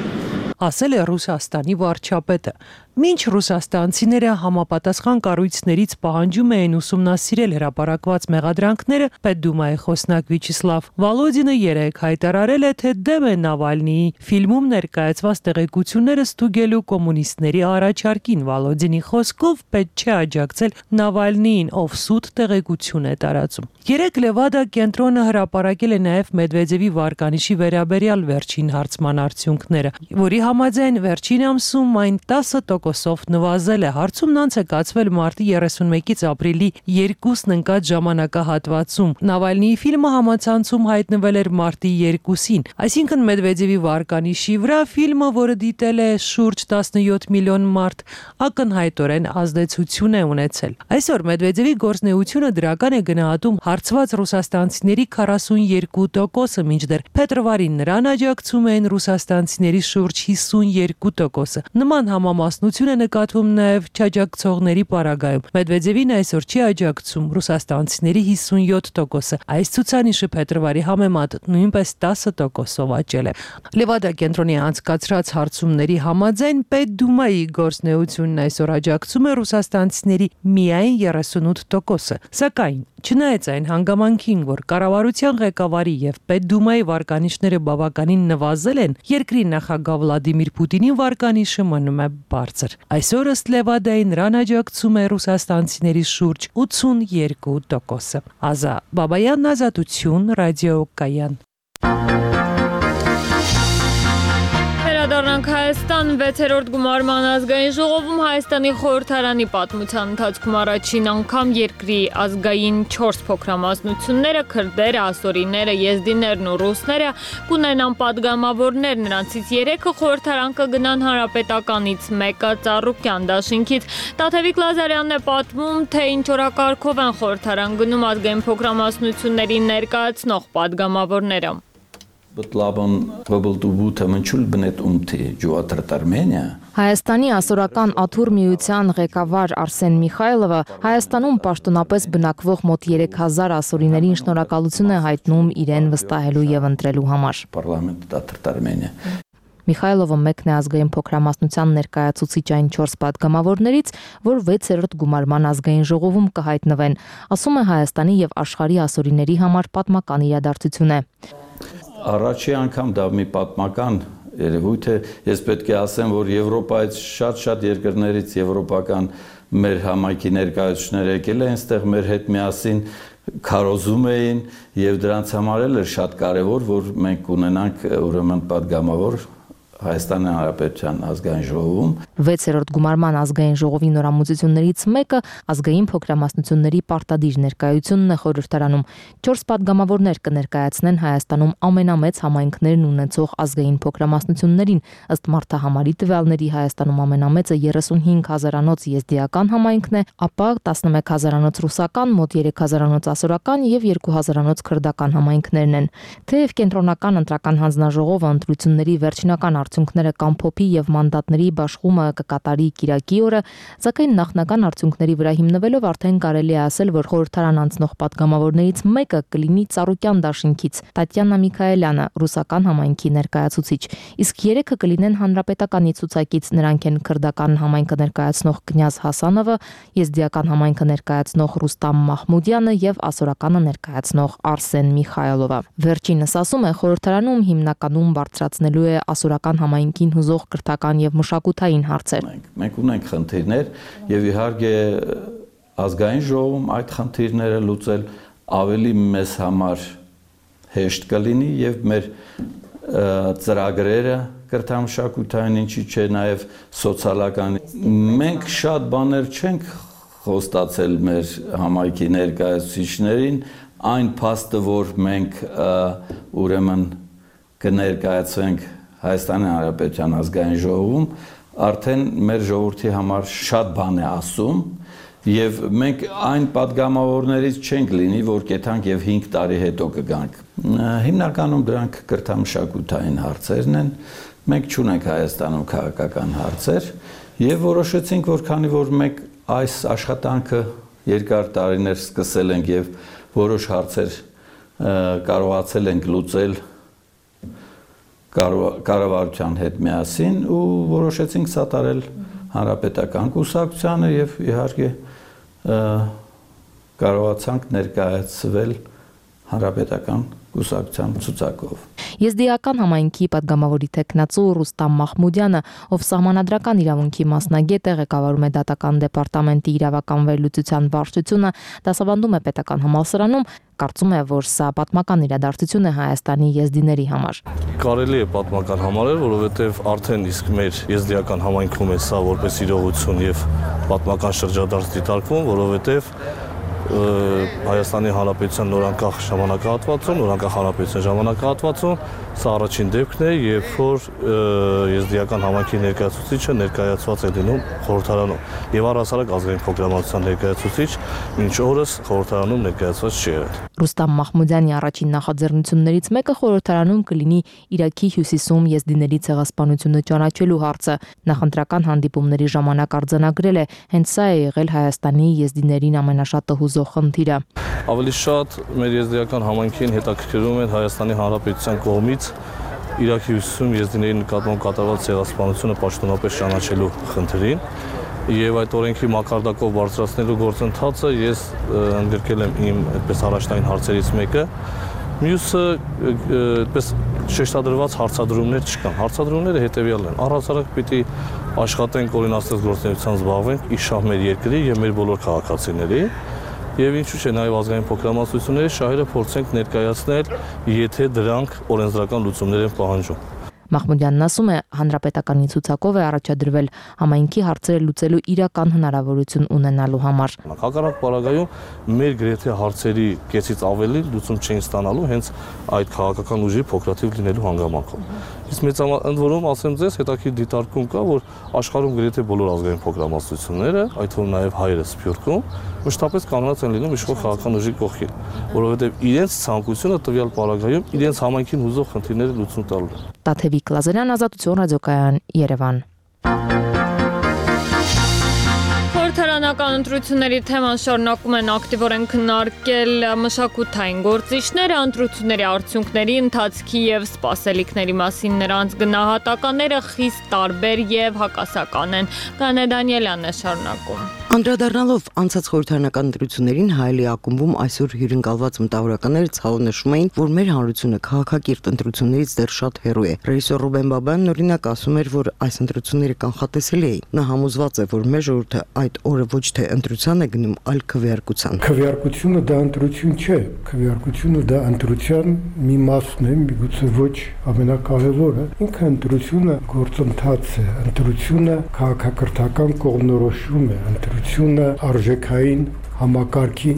Ասել է Ռուսաստանի վարչապետը։ Մինչ ռուսաստանցիները համապատասխան կառույցներից պահանջում էին ուսումնասիրել հրապարակված մեղադրանքները, Պետդումայի խոսնակ Վիչիսլավ Վալոդինը երեկ հայտարարել է, թե դեմ է Նավալնիի ֆիլմում ներկայացված տեղեկությունները ստուգելու կոմունիստների առաջարկին։ Վալոդինի խոսքով պետք չէ աջակցել Նավալնիին, ով սուտ տեղեկություն է տարածում։ Երեկ Լևադա կենտրոնը հրապարակել է նաև Մեդվեդևի վարկանիշի վերաբերյալ վերջին հարցման արդյունքները, որի համաձայն վերջին ամսում այն տասը տոկոսով նվազել է։ Հարցումն անց է կացվել մարտի երեսունմեկից ապրիլի երկուսն ընկած ժամանակահատվածում։ Նավալնիի ֆիլմը համացանցում հայտնվել էր մարտի երկուսին, այսինքն Մեդվեդևի վարկանիշի վրա ֆիլմը, որը դիտել է շուրջ տասնյոթ միլիոն մարդ, ակնհայտորեն ազդեցություն է ունեցել։ Այսօր Մեդվեդևի գործունեությունը դրական է գնահատում հարցված ռուսաստանցիների քառասունյոթ տոկոսը, մինչդեռ փետրվարին նրան աջակցում են ռուսաստանցիների շուրջ հիսունյոթ տոկոսը։ Նման համամասնություն է նկատվում նաև չաջակցողների պարագայում։ Մեդվեդևին այսօր չի աջակցում ռուսաստանցիների հիսունյոթ տոկոսը։ Այս ցուցանիշը փետրվարի համեմատ նույնպես տասը տոկոսով աճել է։ Լևադա կենտրոնի անցկացրած հարցումների համաձայն Պետդումայի գործունեությունն այսօր աջակցում է ռուսաստանցիների միայն երեսունութ տոկոսը։ Սակայն չնայած այն հանգամանքին, որ կառավարության ղեկավարի եւ Պետդումայի վարկանիշները բավականին նվազել են, երկրի նախագահ Վլադիմիր Պուտինի վարկանիշը մնում է բարձր։ Այսօր ըստ Լևադայի նրան աջակցում է ռուսաստանցիների շուրջ ութսունյոթ տոկոսը։ Ազա Բաբայան, Ազատություն, Ռադիո Կայան։ Վերադառնանք Հայաստան, վեցերորդ գումարման ազգային ժողովում Հայաստանի խորհրդարանի պատմության ընթացքում առաջին անգամ երկրի ազգային չորս փոքրամասնությունները, քրդերը, ասորիները, եզդիներն ու ռուսները կունենան падգամավորներ, նրանցից երեքը խորհրդարան կգնան հանրապետականից, մեկը Ծառուկյան դաշինքից։ Տաթևիկ Լազարյանն է պատմում, թե ինչ օրակարգով են խորհրդարան գնում ազգային փոքրամասնություններին ներկայացնող падգամավորները։ Հայաստանի ասորական աթուր միության ղեկավար Արսեն Միխայլովը Հայաստանում պաշտոնապես բնակվող մոտ երեք հազար ասորիներին շնորհակալություն է հայտնում իրեն վստահելու եւ ընտրելու համար։ Միխայլովը մեկն է ազգային փոքրամասնության ներկայացուցիչ այն չորս падգամավորներից, որ վեցերորդ գումարման ազգային ժողովում կհայտնվեն, ասում է Հայաստանի եւ աշխարհի ասորիների համար պատմական իրադարձություն է։ Առաջի անգամ դա մի պատմական երևույթ է, ես պետք է ասեմ, որ Եվրոպայից շատ-շատ երկրներից եվրոպական մեր համայնքի ներկայացուցիչներ եկել են այստեղ մեր հետ միասին քարոզում էին եւ դրանց համար էլ էր շատ կարեւոր, որ մենք ունենանք ուրեմն падգամավոր Հայաստանի Հանրապետության ազգային ժողովում։ Վեցերորդ գումարման ազգային ժողովի նորամուծություններից մեկը ազգային փոքրամասնությունների պարտադիր ներկայությունն է խորհրդարանում։ Չորս падգամավորներ կներկայացնեն Հայաստանում ամենամեծ համայնքներն ունեցող ազգային փոքրամասնություններին, ըստ մարդահամարի տվյալների Հայաստանում ամենամեծը երեսունհինգ հազարանոց եզդիական համայնքն է, ապա տասնմեկ հազարանոց ռուսական, մոտ երեք հազարանոց ասորական եւ երկու հազարանոց քրդական համայնքներն են։ Թեև կենտրոնական ընտրական հանձնաժողովը ընտրությունների վերջնական արդյունքները կամփոփի եւ մանդատների բաշխումը կկատարի Կիրակի օրը, սակայն նախնական արդյունքների վրա հիմնվելով արդեն կարելի է ասել, որ խորհրդարան անցնող падգամավորներից մեկը կլինի Ծառուկյան դաշինքից Տատյանա Միքայելյանը, ռուսական համայնքի ներկայացուցիչ, իսկ երեքը կլինեն հանրապետականի ցուցակից, նրանք են քրդական համայնքը ներկայացնող Կնյազ Հասանովը, եզդիական համայնքը ներկայացնող Ռուստամ Մահմուդյանը եւ ասորականը ներկայացնող Արսեն Միխայլովը։ Վերջինս ասում է, խորհրդարանում հիմնականում բարձրացնելու է ասորական համայնքին հուզող կրթական եւ մշակութային հարցեր։ Մենք ունենք խնդիրներ եւ իհարկե ազգային ժողովում այդ խնդիրները լուծել ավելի մեզ համար հեշտ կլինի եւ մեր ծրագրերը կրթամշակութային ինչի՞ չէ նաեւ սոցիալական։ Մենք շատ բաներ չենք խոստացել մեր համայնքի ներկայացուցիչներին, այն փաստը, որ մենք ուրեմն կներկայացվենք Հայաստանի Հանրապետության ազգային ժողովում, արդեն մեր ժողովրդի համար շատ բան է ասում, եւ մենք այն падգամավորներից չենք լինի, որ կեթանք եւ հինգ տարի հետո կգանք։ Հիմնականում դրանք կրթամշակութային հարցերն են, մենք չունենք Հայաստանում քաղաքական հարցեր եւ որոշեցինք, որ քանի որ մենք այս աշխատանքը երկար տարիներ սկսել ենք եւ որոշ հարցեր կարողացել ենք լուծել կառավարության հետ միասին ու որոշեցինք սատարել հանրապետական կուսակցությանը եւ իհարկե կարողացանք ներկայացվել հանրապետական կուսակցության ցուցակով։ Եզդիական համայնքի падգամավորի տեխնացու Ռուստամ Մախմուդյանը, ով սահմանադրական իրավունքի մասնագետ է, ղեկավարում է դատական դեպարտամենտի իրավական վերլուծության վարչությունը, դասավանդում է պետական համալսարանում, կարծում է, որ սա պատմական իրադարձություն է Հայաստանի եզդիների համար։ Կարելի է պատմական համարել, որովհետև արդեն իսկ մեր եզդիական համայնքում է սա որպես իրողություն եւ պատմական շրջադարձ դիտարկվում, որովհետև Հայաստանի Հանրապետության նորանկախ ժամանակահատվածում, նորանկախ հանրապետության ժամանակահատվածում սա առաջին դեպքն է, երբ որ եզդիական համայնքի ներկայացուցիչը ներկայացված է լինում խորհրդարանում եւ առհասարակ ազգային փոքրամասնության ներկայացուցիչ մինչ օրս խորհրդարանում ներկայացված չի եղել։ Ռուստամ Մախմուդյանի առաջին նախաձեռնություններից մեկը խորհրդարանում կլինի Իրաքի հյուսիսում եզդիների ցեղասպանությունը ճանաչելու հարցը։ Նախընտրական հանդիպումների ժամանակ արձանագրել է, հենց սա է եղել Հայաստանի եզդիներին ամենաշատը հուզող խնդիրը։ Ավելի շատ մեր եզդիական համայնքին հետաքրքրում են Հայաստանի Հանրապետության կողմից Իրաքի հյուսիսում եզդիների նկատմամբ կատարված ցեղասպանությունը պաշտոնապես ճանաչելու խնդրին եւ այդ օրենքի մակարդակով բարձրացնելու գործընթացը ես ընդգրկել եմ իմ այդպես առաջնային հարցերից մեկը։ Մյուսը այդպես շեշտադրված հարցադրումներ չկան։ Հարցադրումները հետեւյալն են. առհասարակ պիտի աշխատենք օրինացած գործունեությամբ զբաղվենք իշահ մեր երկրի եւ մեր բոլոր քաղաքացիների եւ ինչու՞ չէ նաեւ ազգային փոքրամասնությունների շահերը փորձենք ներկայացնել, եթե դրանք օրենսդրական լուծումներ են պահանջում։ Մախմուդյանն ասում է, հանրապետականի ցուցակով է առաջադրվել համայնքի հարցերը լուծելու իրական հնարավորություն ունենալու համար։ Հակառակ պարագայում մեր գրեթե հարցերի կեսից ավելի լուծում չէին ստանալու հենց այդ քաղաքական ուժի փոքրաթիվ լինելու հանգամանքով։ Իսկ մեծ ընդ որում ասեմ ձեզ, հետաքրքիր դիտարկում կա, որ աշխարհում գրեթե բոլոր ազգային փոքրամասնությունները, այդ թվում նաև հայերը Սփյուռքում, մշտապես կանգնած են լինում իշխող քաղաքական ուժի կողքին, որովհետև իրենց ցանկությունը տվյալ պարագայում իրենց համայնքին հուզող խնդիրները լուծում տալու է։ Տաթևիկ Լազարյան, Ազատություն ռադիոկայան, Երևան։ Խորհրդարանական ընտրությունների թեման շարունակում են ակտիվորեն քննարկել մշակութային գործիչները, ընտրությունների արդյունքների, ընթացքի եւ սպասելիքների մասին նրանց գնահատականները խիստ տարբեր եւ հակասական են։ Կանե Դանիելյանն է շարունակում։ Անդրադառնալով անցած խորհրդարանական ընտրություններին Հայելի ակումբում այսօր հյուրընկալված մտավորականները ցավով նշում էին, որ մեր հանրությունը քաղաքակիրթ ընտրություններից դեռ շատ հեռու է։ Ռեժիսոր Ռուբեն Բաբյանն օրինակ ասում էր, որ այս ընտրությունները կանխատեսելի էին։ Նա համոզված է, որ մեր ժողովուրդը այդ օրը ոչ թե ընտրության է գնում, այլ քվեարկության։ Քվեարկությունը դա ընտրություն չէ, քվեարկությունը դա ընտրության մի մասն է, միգուցե ոչ ամենակարևորը։ Ինքը ընտրությունը գործընթաց է, ընտրությունը քաղաքակրթական կողմնորոշում է, ընտրությունը արժեքային համակարգի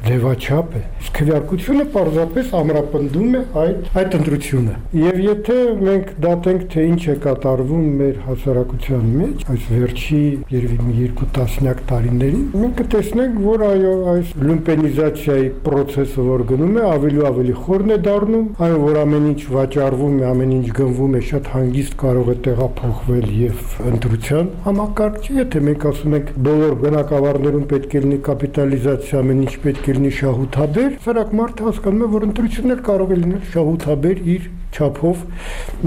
ձևաչափ է։ Քվեարկությունը պարզապես ամրապնդում է այդ այդ ընտրությունը։ Եվ եթե մենք դատենք, թե ինչ է կատարվում մեր հասարակության մեջ այս վերջի երևի մի երկու տասնյակ տարիներին, մենք կտեսնենք, որ այո, այս լումպենիզացիայի process-ը որ գնում է, ավելի ու ավելի խորն է դառնում, այն որ ամեն ինչ վաճառվում է, ամեն ինչ գնվում է, շատ հանգիստ կարող է տեղափոխվել եւ ընտրության համակարգ չի, եթե մենք ասում ենք բոլոր բնակավարներում պետք է լինի կապիտալիզացիա, ամեն ինչ պետք է լինի շահութաբեր, սարակ մարդը հասկանում է, որ ընտրություններ կարող է լինել շահութաբեր իր չափով,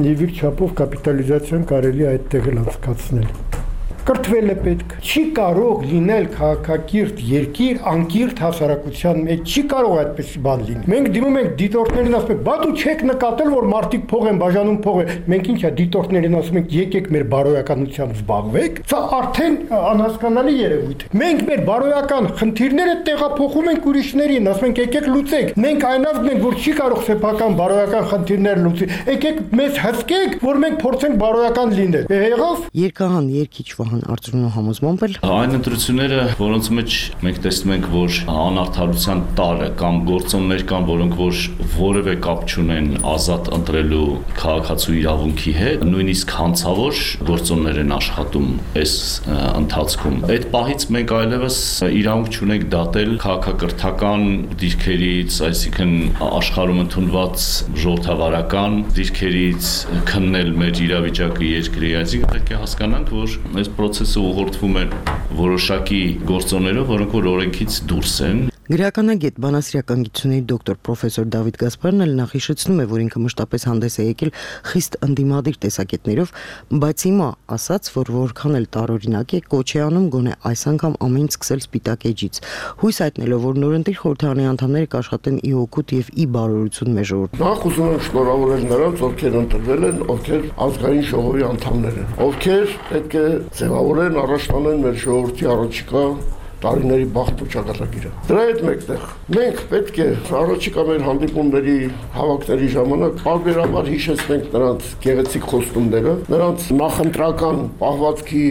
եւ իր չափով կապիտալիզացիան կարելի է այդտեղ էլ անցկացնել։ Կրթվել է պետք։ Չի կարող լինել քաղաքակիրթ երկիր անկիրթ հասարակության մեջ, չի կարող այդպեսի բան լինի։ Մենք դիմում ենք դիտորդներին, ասում ենք, բա դու չեք նկատել, որ մարդիկ փող են բաժանում փողը։ Մենք ինչա դիտորդներին ասում ենք, եկեք մեր բարոյականությամբ զբաղվեք։ Սա արդեն անհասկանալի երևույթ է։ Մենք մեր բարոյական խնդիրները տեղափոխում ենք ուրիշներին, ասում ենք, եկեք լուծեք։ Մենք այնավն ենք, որ չի կարող սեփական բարոյական խնդիրներ լուծի։ Եկեք մեզ հսկեք, որ մենք փորձենք բարոյական լինել։ Եղավ։ Երկհան երկիչ Վահան նման արծրունու համոզմամբ էլ այն ընտրությունները, որոնց մեջ մենք տեսնում ենք, որ անարդարության տարը կամ գործոններ կան, որոնք որ որևէ կապ չունեն ազատ ընտրելու քաղաքացու իրավունքի հետ, նույնիսկ հանցավոր գործոններ են աշխատում այս ընթացքում։ Այդ պահից մենք այլևս իրավունք չունենք դատել քաղաքակրթական դիրքերից, այսինքն աշխարհում ընդունված ժողովրդավարական դիրքերից քննել մեր իրավիճակը երկրի, այսինքն պետք է հասկանանք, որ այս process-ը ուղղորդվում է որոշակի գործոններով, որոնք որ օրենքից դուրս են։ Գրականագետ բանասիրական գիտությունների դոկտոր պրոֆեսոր Դավիթ Գասպարն էլ նախիշեցնում է, որ ինքը մշտապես հանդես է եկել խիստ ընդդիմադիր տեսակետներով, բայց հիմա ասաց, որ որքան էլ տարօրինակ է, կոչ է անում գոնե այս անգամ ամեն ինչ սկսել սպիտակ էջից։ Հույս հայտնելով, որ նորընտիր խորհրդարանի անդամները կաշխատեն ի օգուտ եւ ի բարօրություն մեր ժողովրդին։ Նախ ուզում եմ շնորհավորել նրանց, ովքեր ընտրվել են, ովքեր ազգային ժողովի անդամներ են, ովքեր պետք է ձևավորեն, առաջ տանեն մեր ժողովրդի առաջիկա տարիների բախտ ու ճակատագիրը։ Դրա հետ մեկտեղ մենք պետք է առաջիկա մեր հանդիպումների, հավաքների ժամանակ բարբերաբար հիշեցնենք նրանց գեղեցիկ խոստումները, նրանց նախընտրական պահվածքի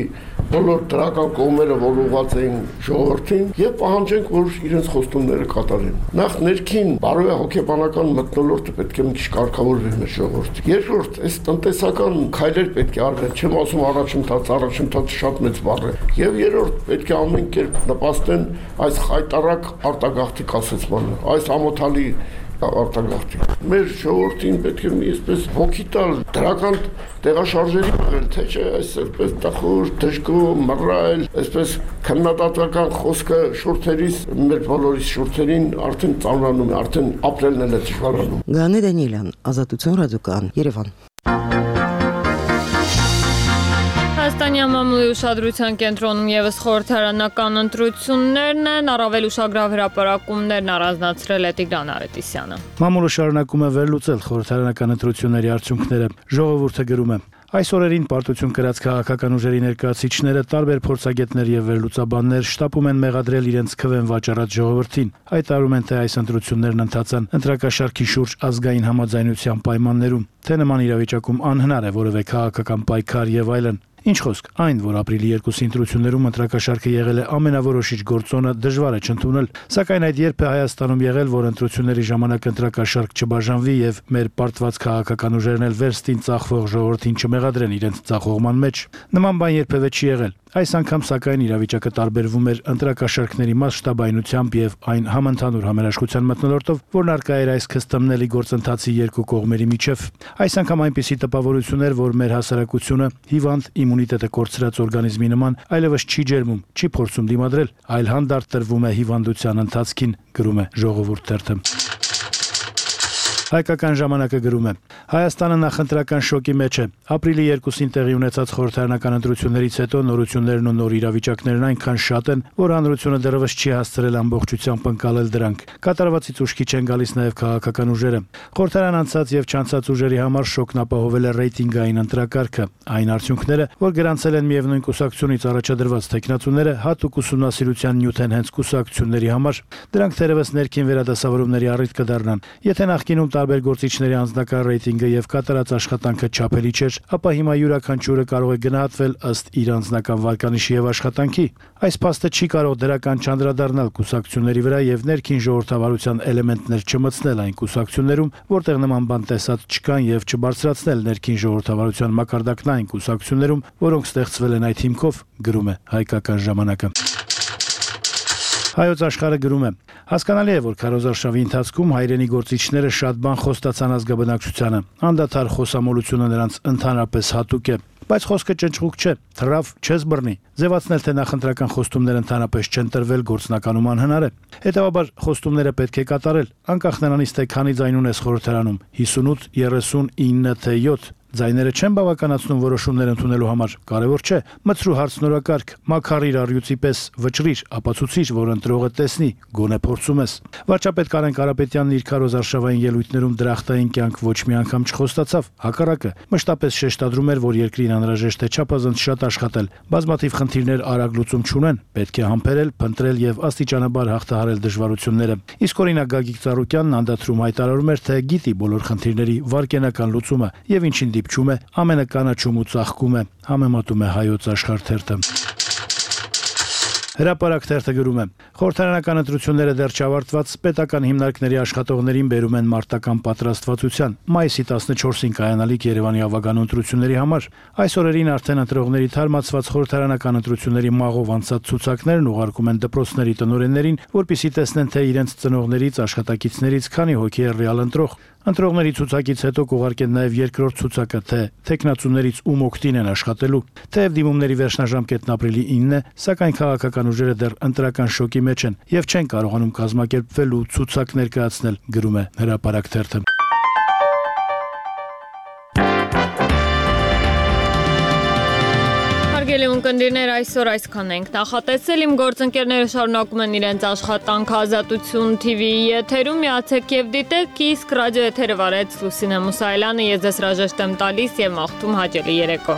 բոլոր դրական կողմերը, որ ուղղված էին ժողովրդին, եւ պահանջենք, որ իրենց խոստումները կատարեն։ Նախ ներքին բարոյա հոգեբանական մթնոլորտը պետք է մի քիչ կարգավորվի մեր ժողովրդի։ Երկրորդ, այս տնտեսական քայլեր պետք է արվեն, չեմ ասում առաջընթաց, առաջընթացը շատ մեծ բառ է։ Եվ երրորդ, պետք է ամեն կերպ նպաստեն այս խայտարակ արտագաղթի կասեցմանը, այս ամոթալի արտագաղթի։ Մեր ժողովրդին պետք է մի այսպես հոգի տալ դրական տեղաշարժերի մղել, թե չէ այսպես տխուր, դժգոհ, մռայլ, այսպես քննադատական խոսքը շուրթերից մեր բոլորիս շուրթերին արդեն ծանրանում է, արդեն ապրելն էլ է դժվարանում։ Գանե Դանիելյան, Ազատություն ռադիոկայան, Երևան։ Հայաստանի մամուլի ուշադրության կենտրոնում եւս խորհրդարանական ընտրություններն են, առավել ուշագրավ հրապարակումներն առանձնացրել է Տիգրան Արետիսյանը։ Մամուլը շարունակում է վերլուծել խորհրդարանական ընտրությունների արդյունքները։ Ժողովուրդը գրում է. Այս օրերին պարտություն կրած քաղաքական ուժերի ներկայացուցիչները տարբեր փորձագետներ եւ վերլուծաբաններ շտապում են մեղադրել իրենց քվեն վաճառած ժողովրդին։ Հայտարարում են, թե այս ընտրություններն ընթացան ընտրակաշարքի շուրջ ազգային համաձայնության պայմաններում, թե նման իրավիճակում անհնար է որևէ քաղաքական պայքար եւ այլն։ Ինչ խոսք, այն, որ ապրիլի երկուսի ընտրություններում ընտրակաշարքը եղել է ամենավորոշիչ գործոնը, դժվար է չընդունել, սակայն այդ երբ է Հայաստանում եղել, որ ընտրությունների ժամանակ ընտրակաշարք չբաժանվի եւ մեր պարտված քաղաքական ուժերն էլ վերստին ծախվող ժողովրդին չմեղադրեն իրենց ծախողման մեջ։ Նման բան երբևէ չի եղել։ Այս անգամ սակայն իրավիճակը տարբերվում էր ընտրակաշարքների մասշտաբայնությամբ եւ այն համընդհանուր համերաշխության մթնոլորտով, որն արկա էր այս քստմնելի գործընթացի երկու կողմերի միջև։ Այս անգամ այնպիսի տպավորություն էր, որ մեր հասարակությունը հիվանդ իմունիտետը կորցրած օրգանիզմի նման այլևս չի ջերմում, չի փորձում դիմադրել, այլ հանդարտ տրվում է հիվանդության ընթացքին, գրում է Ժողովուրդ թերթը։ Հայկական ժամանակը գրում է. Հայաստանը նախընտրական շոկի մեջ է։ Ապրիլի երկուսին տեղի ունեցած խորհրդարանական ընտրություններից հետո նորություններն ու նոր իրավիճակներն այնքան շատ են, որ հանրությունը դեռևս չի հասցրել ամբողջությամբ ընկալել դրանք։ Կատարվածից ուշքի չեն գալիս նաև քաղաքական ուժերը։ Խորհրդարան անցած եւ չանցած ուժերի համար շոկն ապահովել է ռեյտինգային ընտրակարգը։ Այն արդյունքները, որ գրանցել են միևնույն կուսակցությունից առաջադրված տեխնացուները, հատուկ ուսումնասիրության նյութ են հենց կուսակցությունների համար։ Դրանք թերևս ներքին վերադասավորումների առիթ կդառնան։ Եթե նախկինում տարբեր գործիչների անձնական ռեյտինգը եւ կատարած աշխատանքը չափելի չէր, ապա հիմա յուրաքանչյուրը կարող է գնահատվել ըստ իր անձնական վարկանիշի եւ աշխատանքի։ Այս փաստը չի կարող դրական չանդրադառնալ կուսակցությունների վրա եւ ներքին ժողովրդավարության էլեմենտներ չմտցնել այն կուսակցություններում, որտեղ նման բան տեսած չկան եւ չբարձրացնել ներքին ժողովրդավարության մակարդակն այն կուսակցություններում, որոնք ստեղծվել են այդ հիմքով, գրում է Հայկական ժամանակը։ Հայոց աշխարհը գրում է. Հասկանալի է, որ քարոզարշավի ընթացքում հայրենի գործիչները շատ բան խոստացան ազգաբնակչությանը։ Անդադար խոսամոլությունը նրանց ընդհանրապես հատուկ է, բայց խոսքը ճնճղուկ չէ, թռավ չես բռնի։ Ձևացնել, թե նախընտրական խոստումներ ընդհանրապես չեն տրվել, գործնականում անհնար է։ Հետևաբար խոստումները պետք է կատարել, անկախ նրանից, թե քանի ձայն ունես խորհրդարանում՝ հիսունութ, երեսուն, ինը, թե յոթ։ Ձայները չեն բավականացնում որոշումներ ընդունելու համար, կարևոր չէ, մտցրու հարցնորակարգ, մաքարիր առյուծի պես, վճռիր, ապացուցիր, որ ընտրողը տեսնի, գոնե փորձում ես։ Վարչապետ Կարեն Կարապետյանն իր քարոզարշավային ելույթներում դրախտային կյանք ոչ մի անգամ չխոստացավ, հակառակը, մշտապես շեշտադրում էր, որ երկրին անհրաժեշտ է չափազանց շատ աշխատել, բազմաթիվ խնդիրներ արագ լուծում չունեն, պետք է համբերել, փնտրել եւ աստիճանաբար հաղթահարել դժվարությունները։ Իսկ օրինակ Գագիկ Ծառուկյանն անդադրում հայտարարում էր, թե գիտի բոլոր խնդիրների վարկենական լուծումը եւ ինչին դիպչում է, ամենը կանաչում ու ծաղկում է, համեմատում է Հայոց Աշխարհ թերթը։ Հրապարակ թերթը գրում է. խորհրդարանական ընտրությունները դեռ չավարտված պետական հիմնարկների աշխատողներին բերում են մարտական պատրաստվածության։ Մայիսի տասնչորսին կայանալիք Երևանի ավագանու ընտրությունների համար այս օրերին արդեն ընտրողների թարմացված խորհրդարանական ընտրությունների մաղով անցած ցուցակներն ուղարկում են դպրոցների տնօրեններին, որպեսզի տեսնեն, թե իրենց ծնողներից, աշխատակիցներից քանի հոգի է ռեալ ընտրող։ Ընտրողների ցուցակից հետո կուղարկեն նաև երկրորդ ցուցակը, թե տեխնացուներից ում օգտին են աշխատելու։ Թեև դիմումների վերջնաժամկետն ապրիլի ինն է, սակայն քաղաքական ուժերը դեռ ընտրական շոկի մեջ են եւ չեն կարողանում կազմակերպվել ու ցուցակ ներկայացնել, գրում է Հրապարակ թերթը։ Հարգելի ունկնդիրներ, այսօր այսքան ենք նախատեսել։ Իմ գործընկերները շարունակում են իրենց աշխատանքը Ազատություն T V-ի եթերում, միացեք եւ դիտեք, իսկ ռադիո եթերը վարեց Լուսինե Մուսայելյանը, ես ձեզ հրաժեշտ եմ տալիս եւ մաղթում հաճելի երեկո։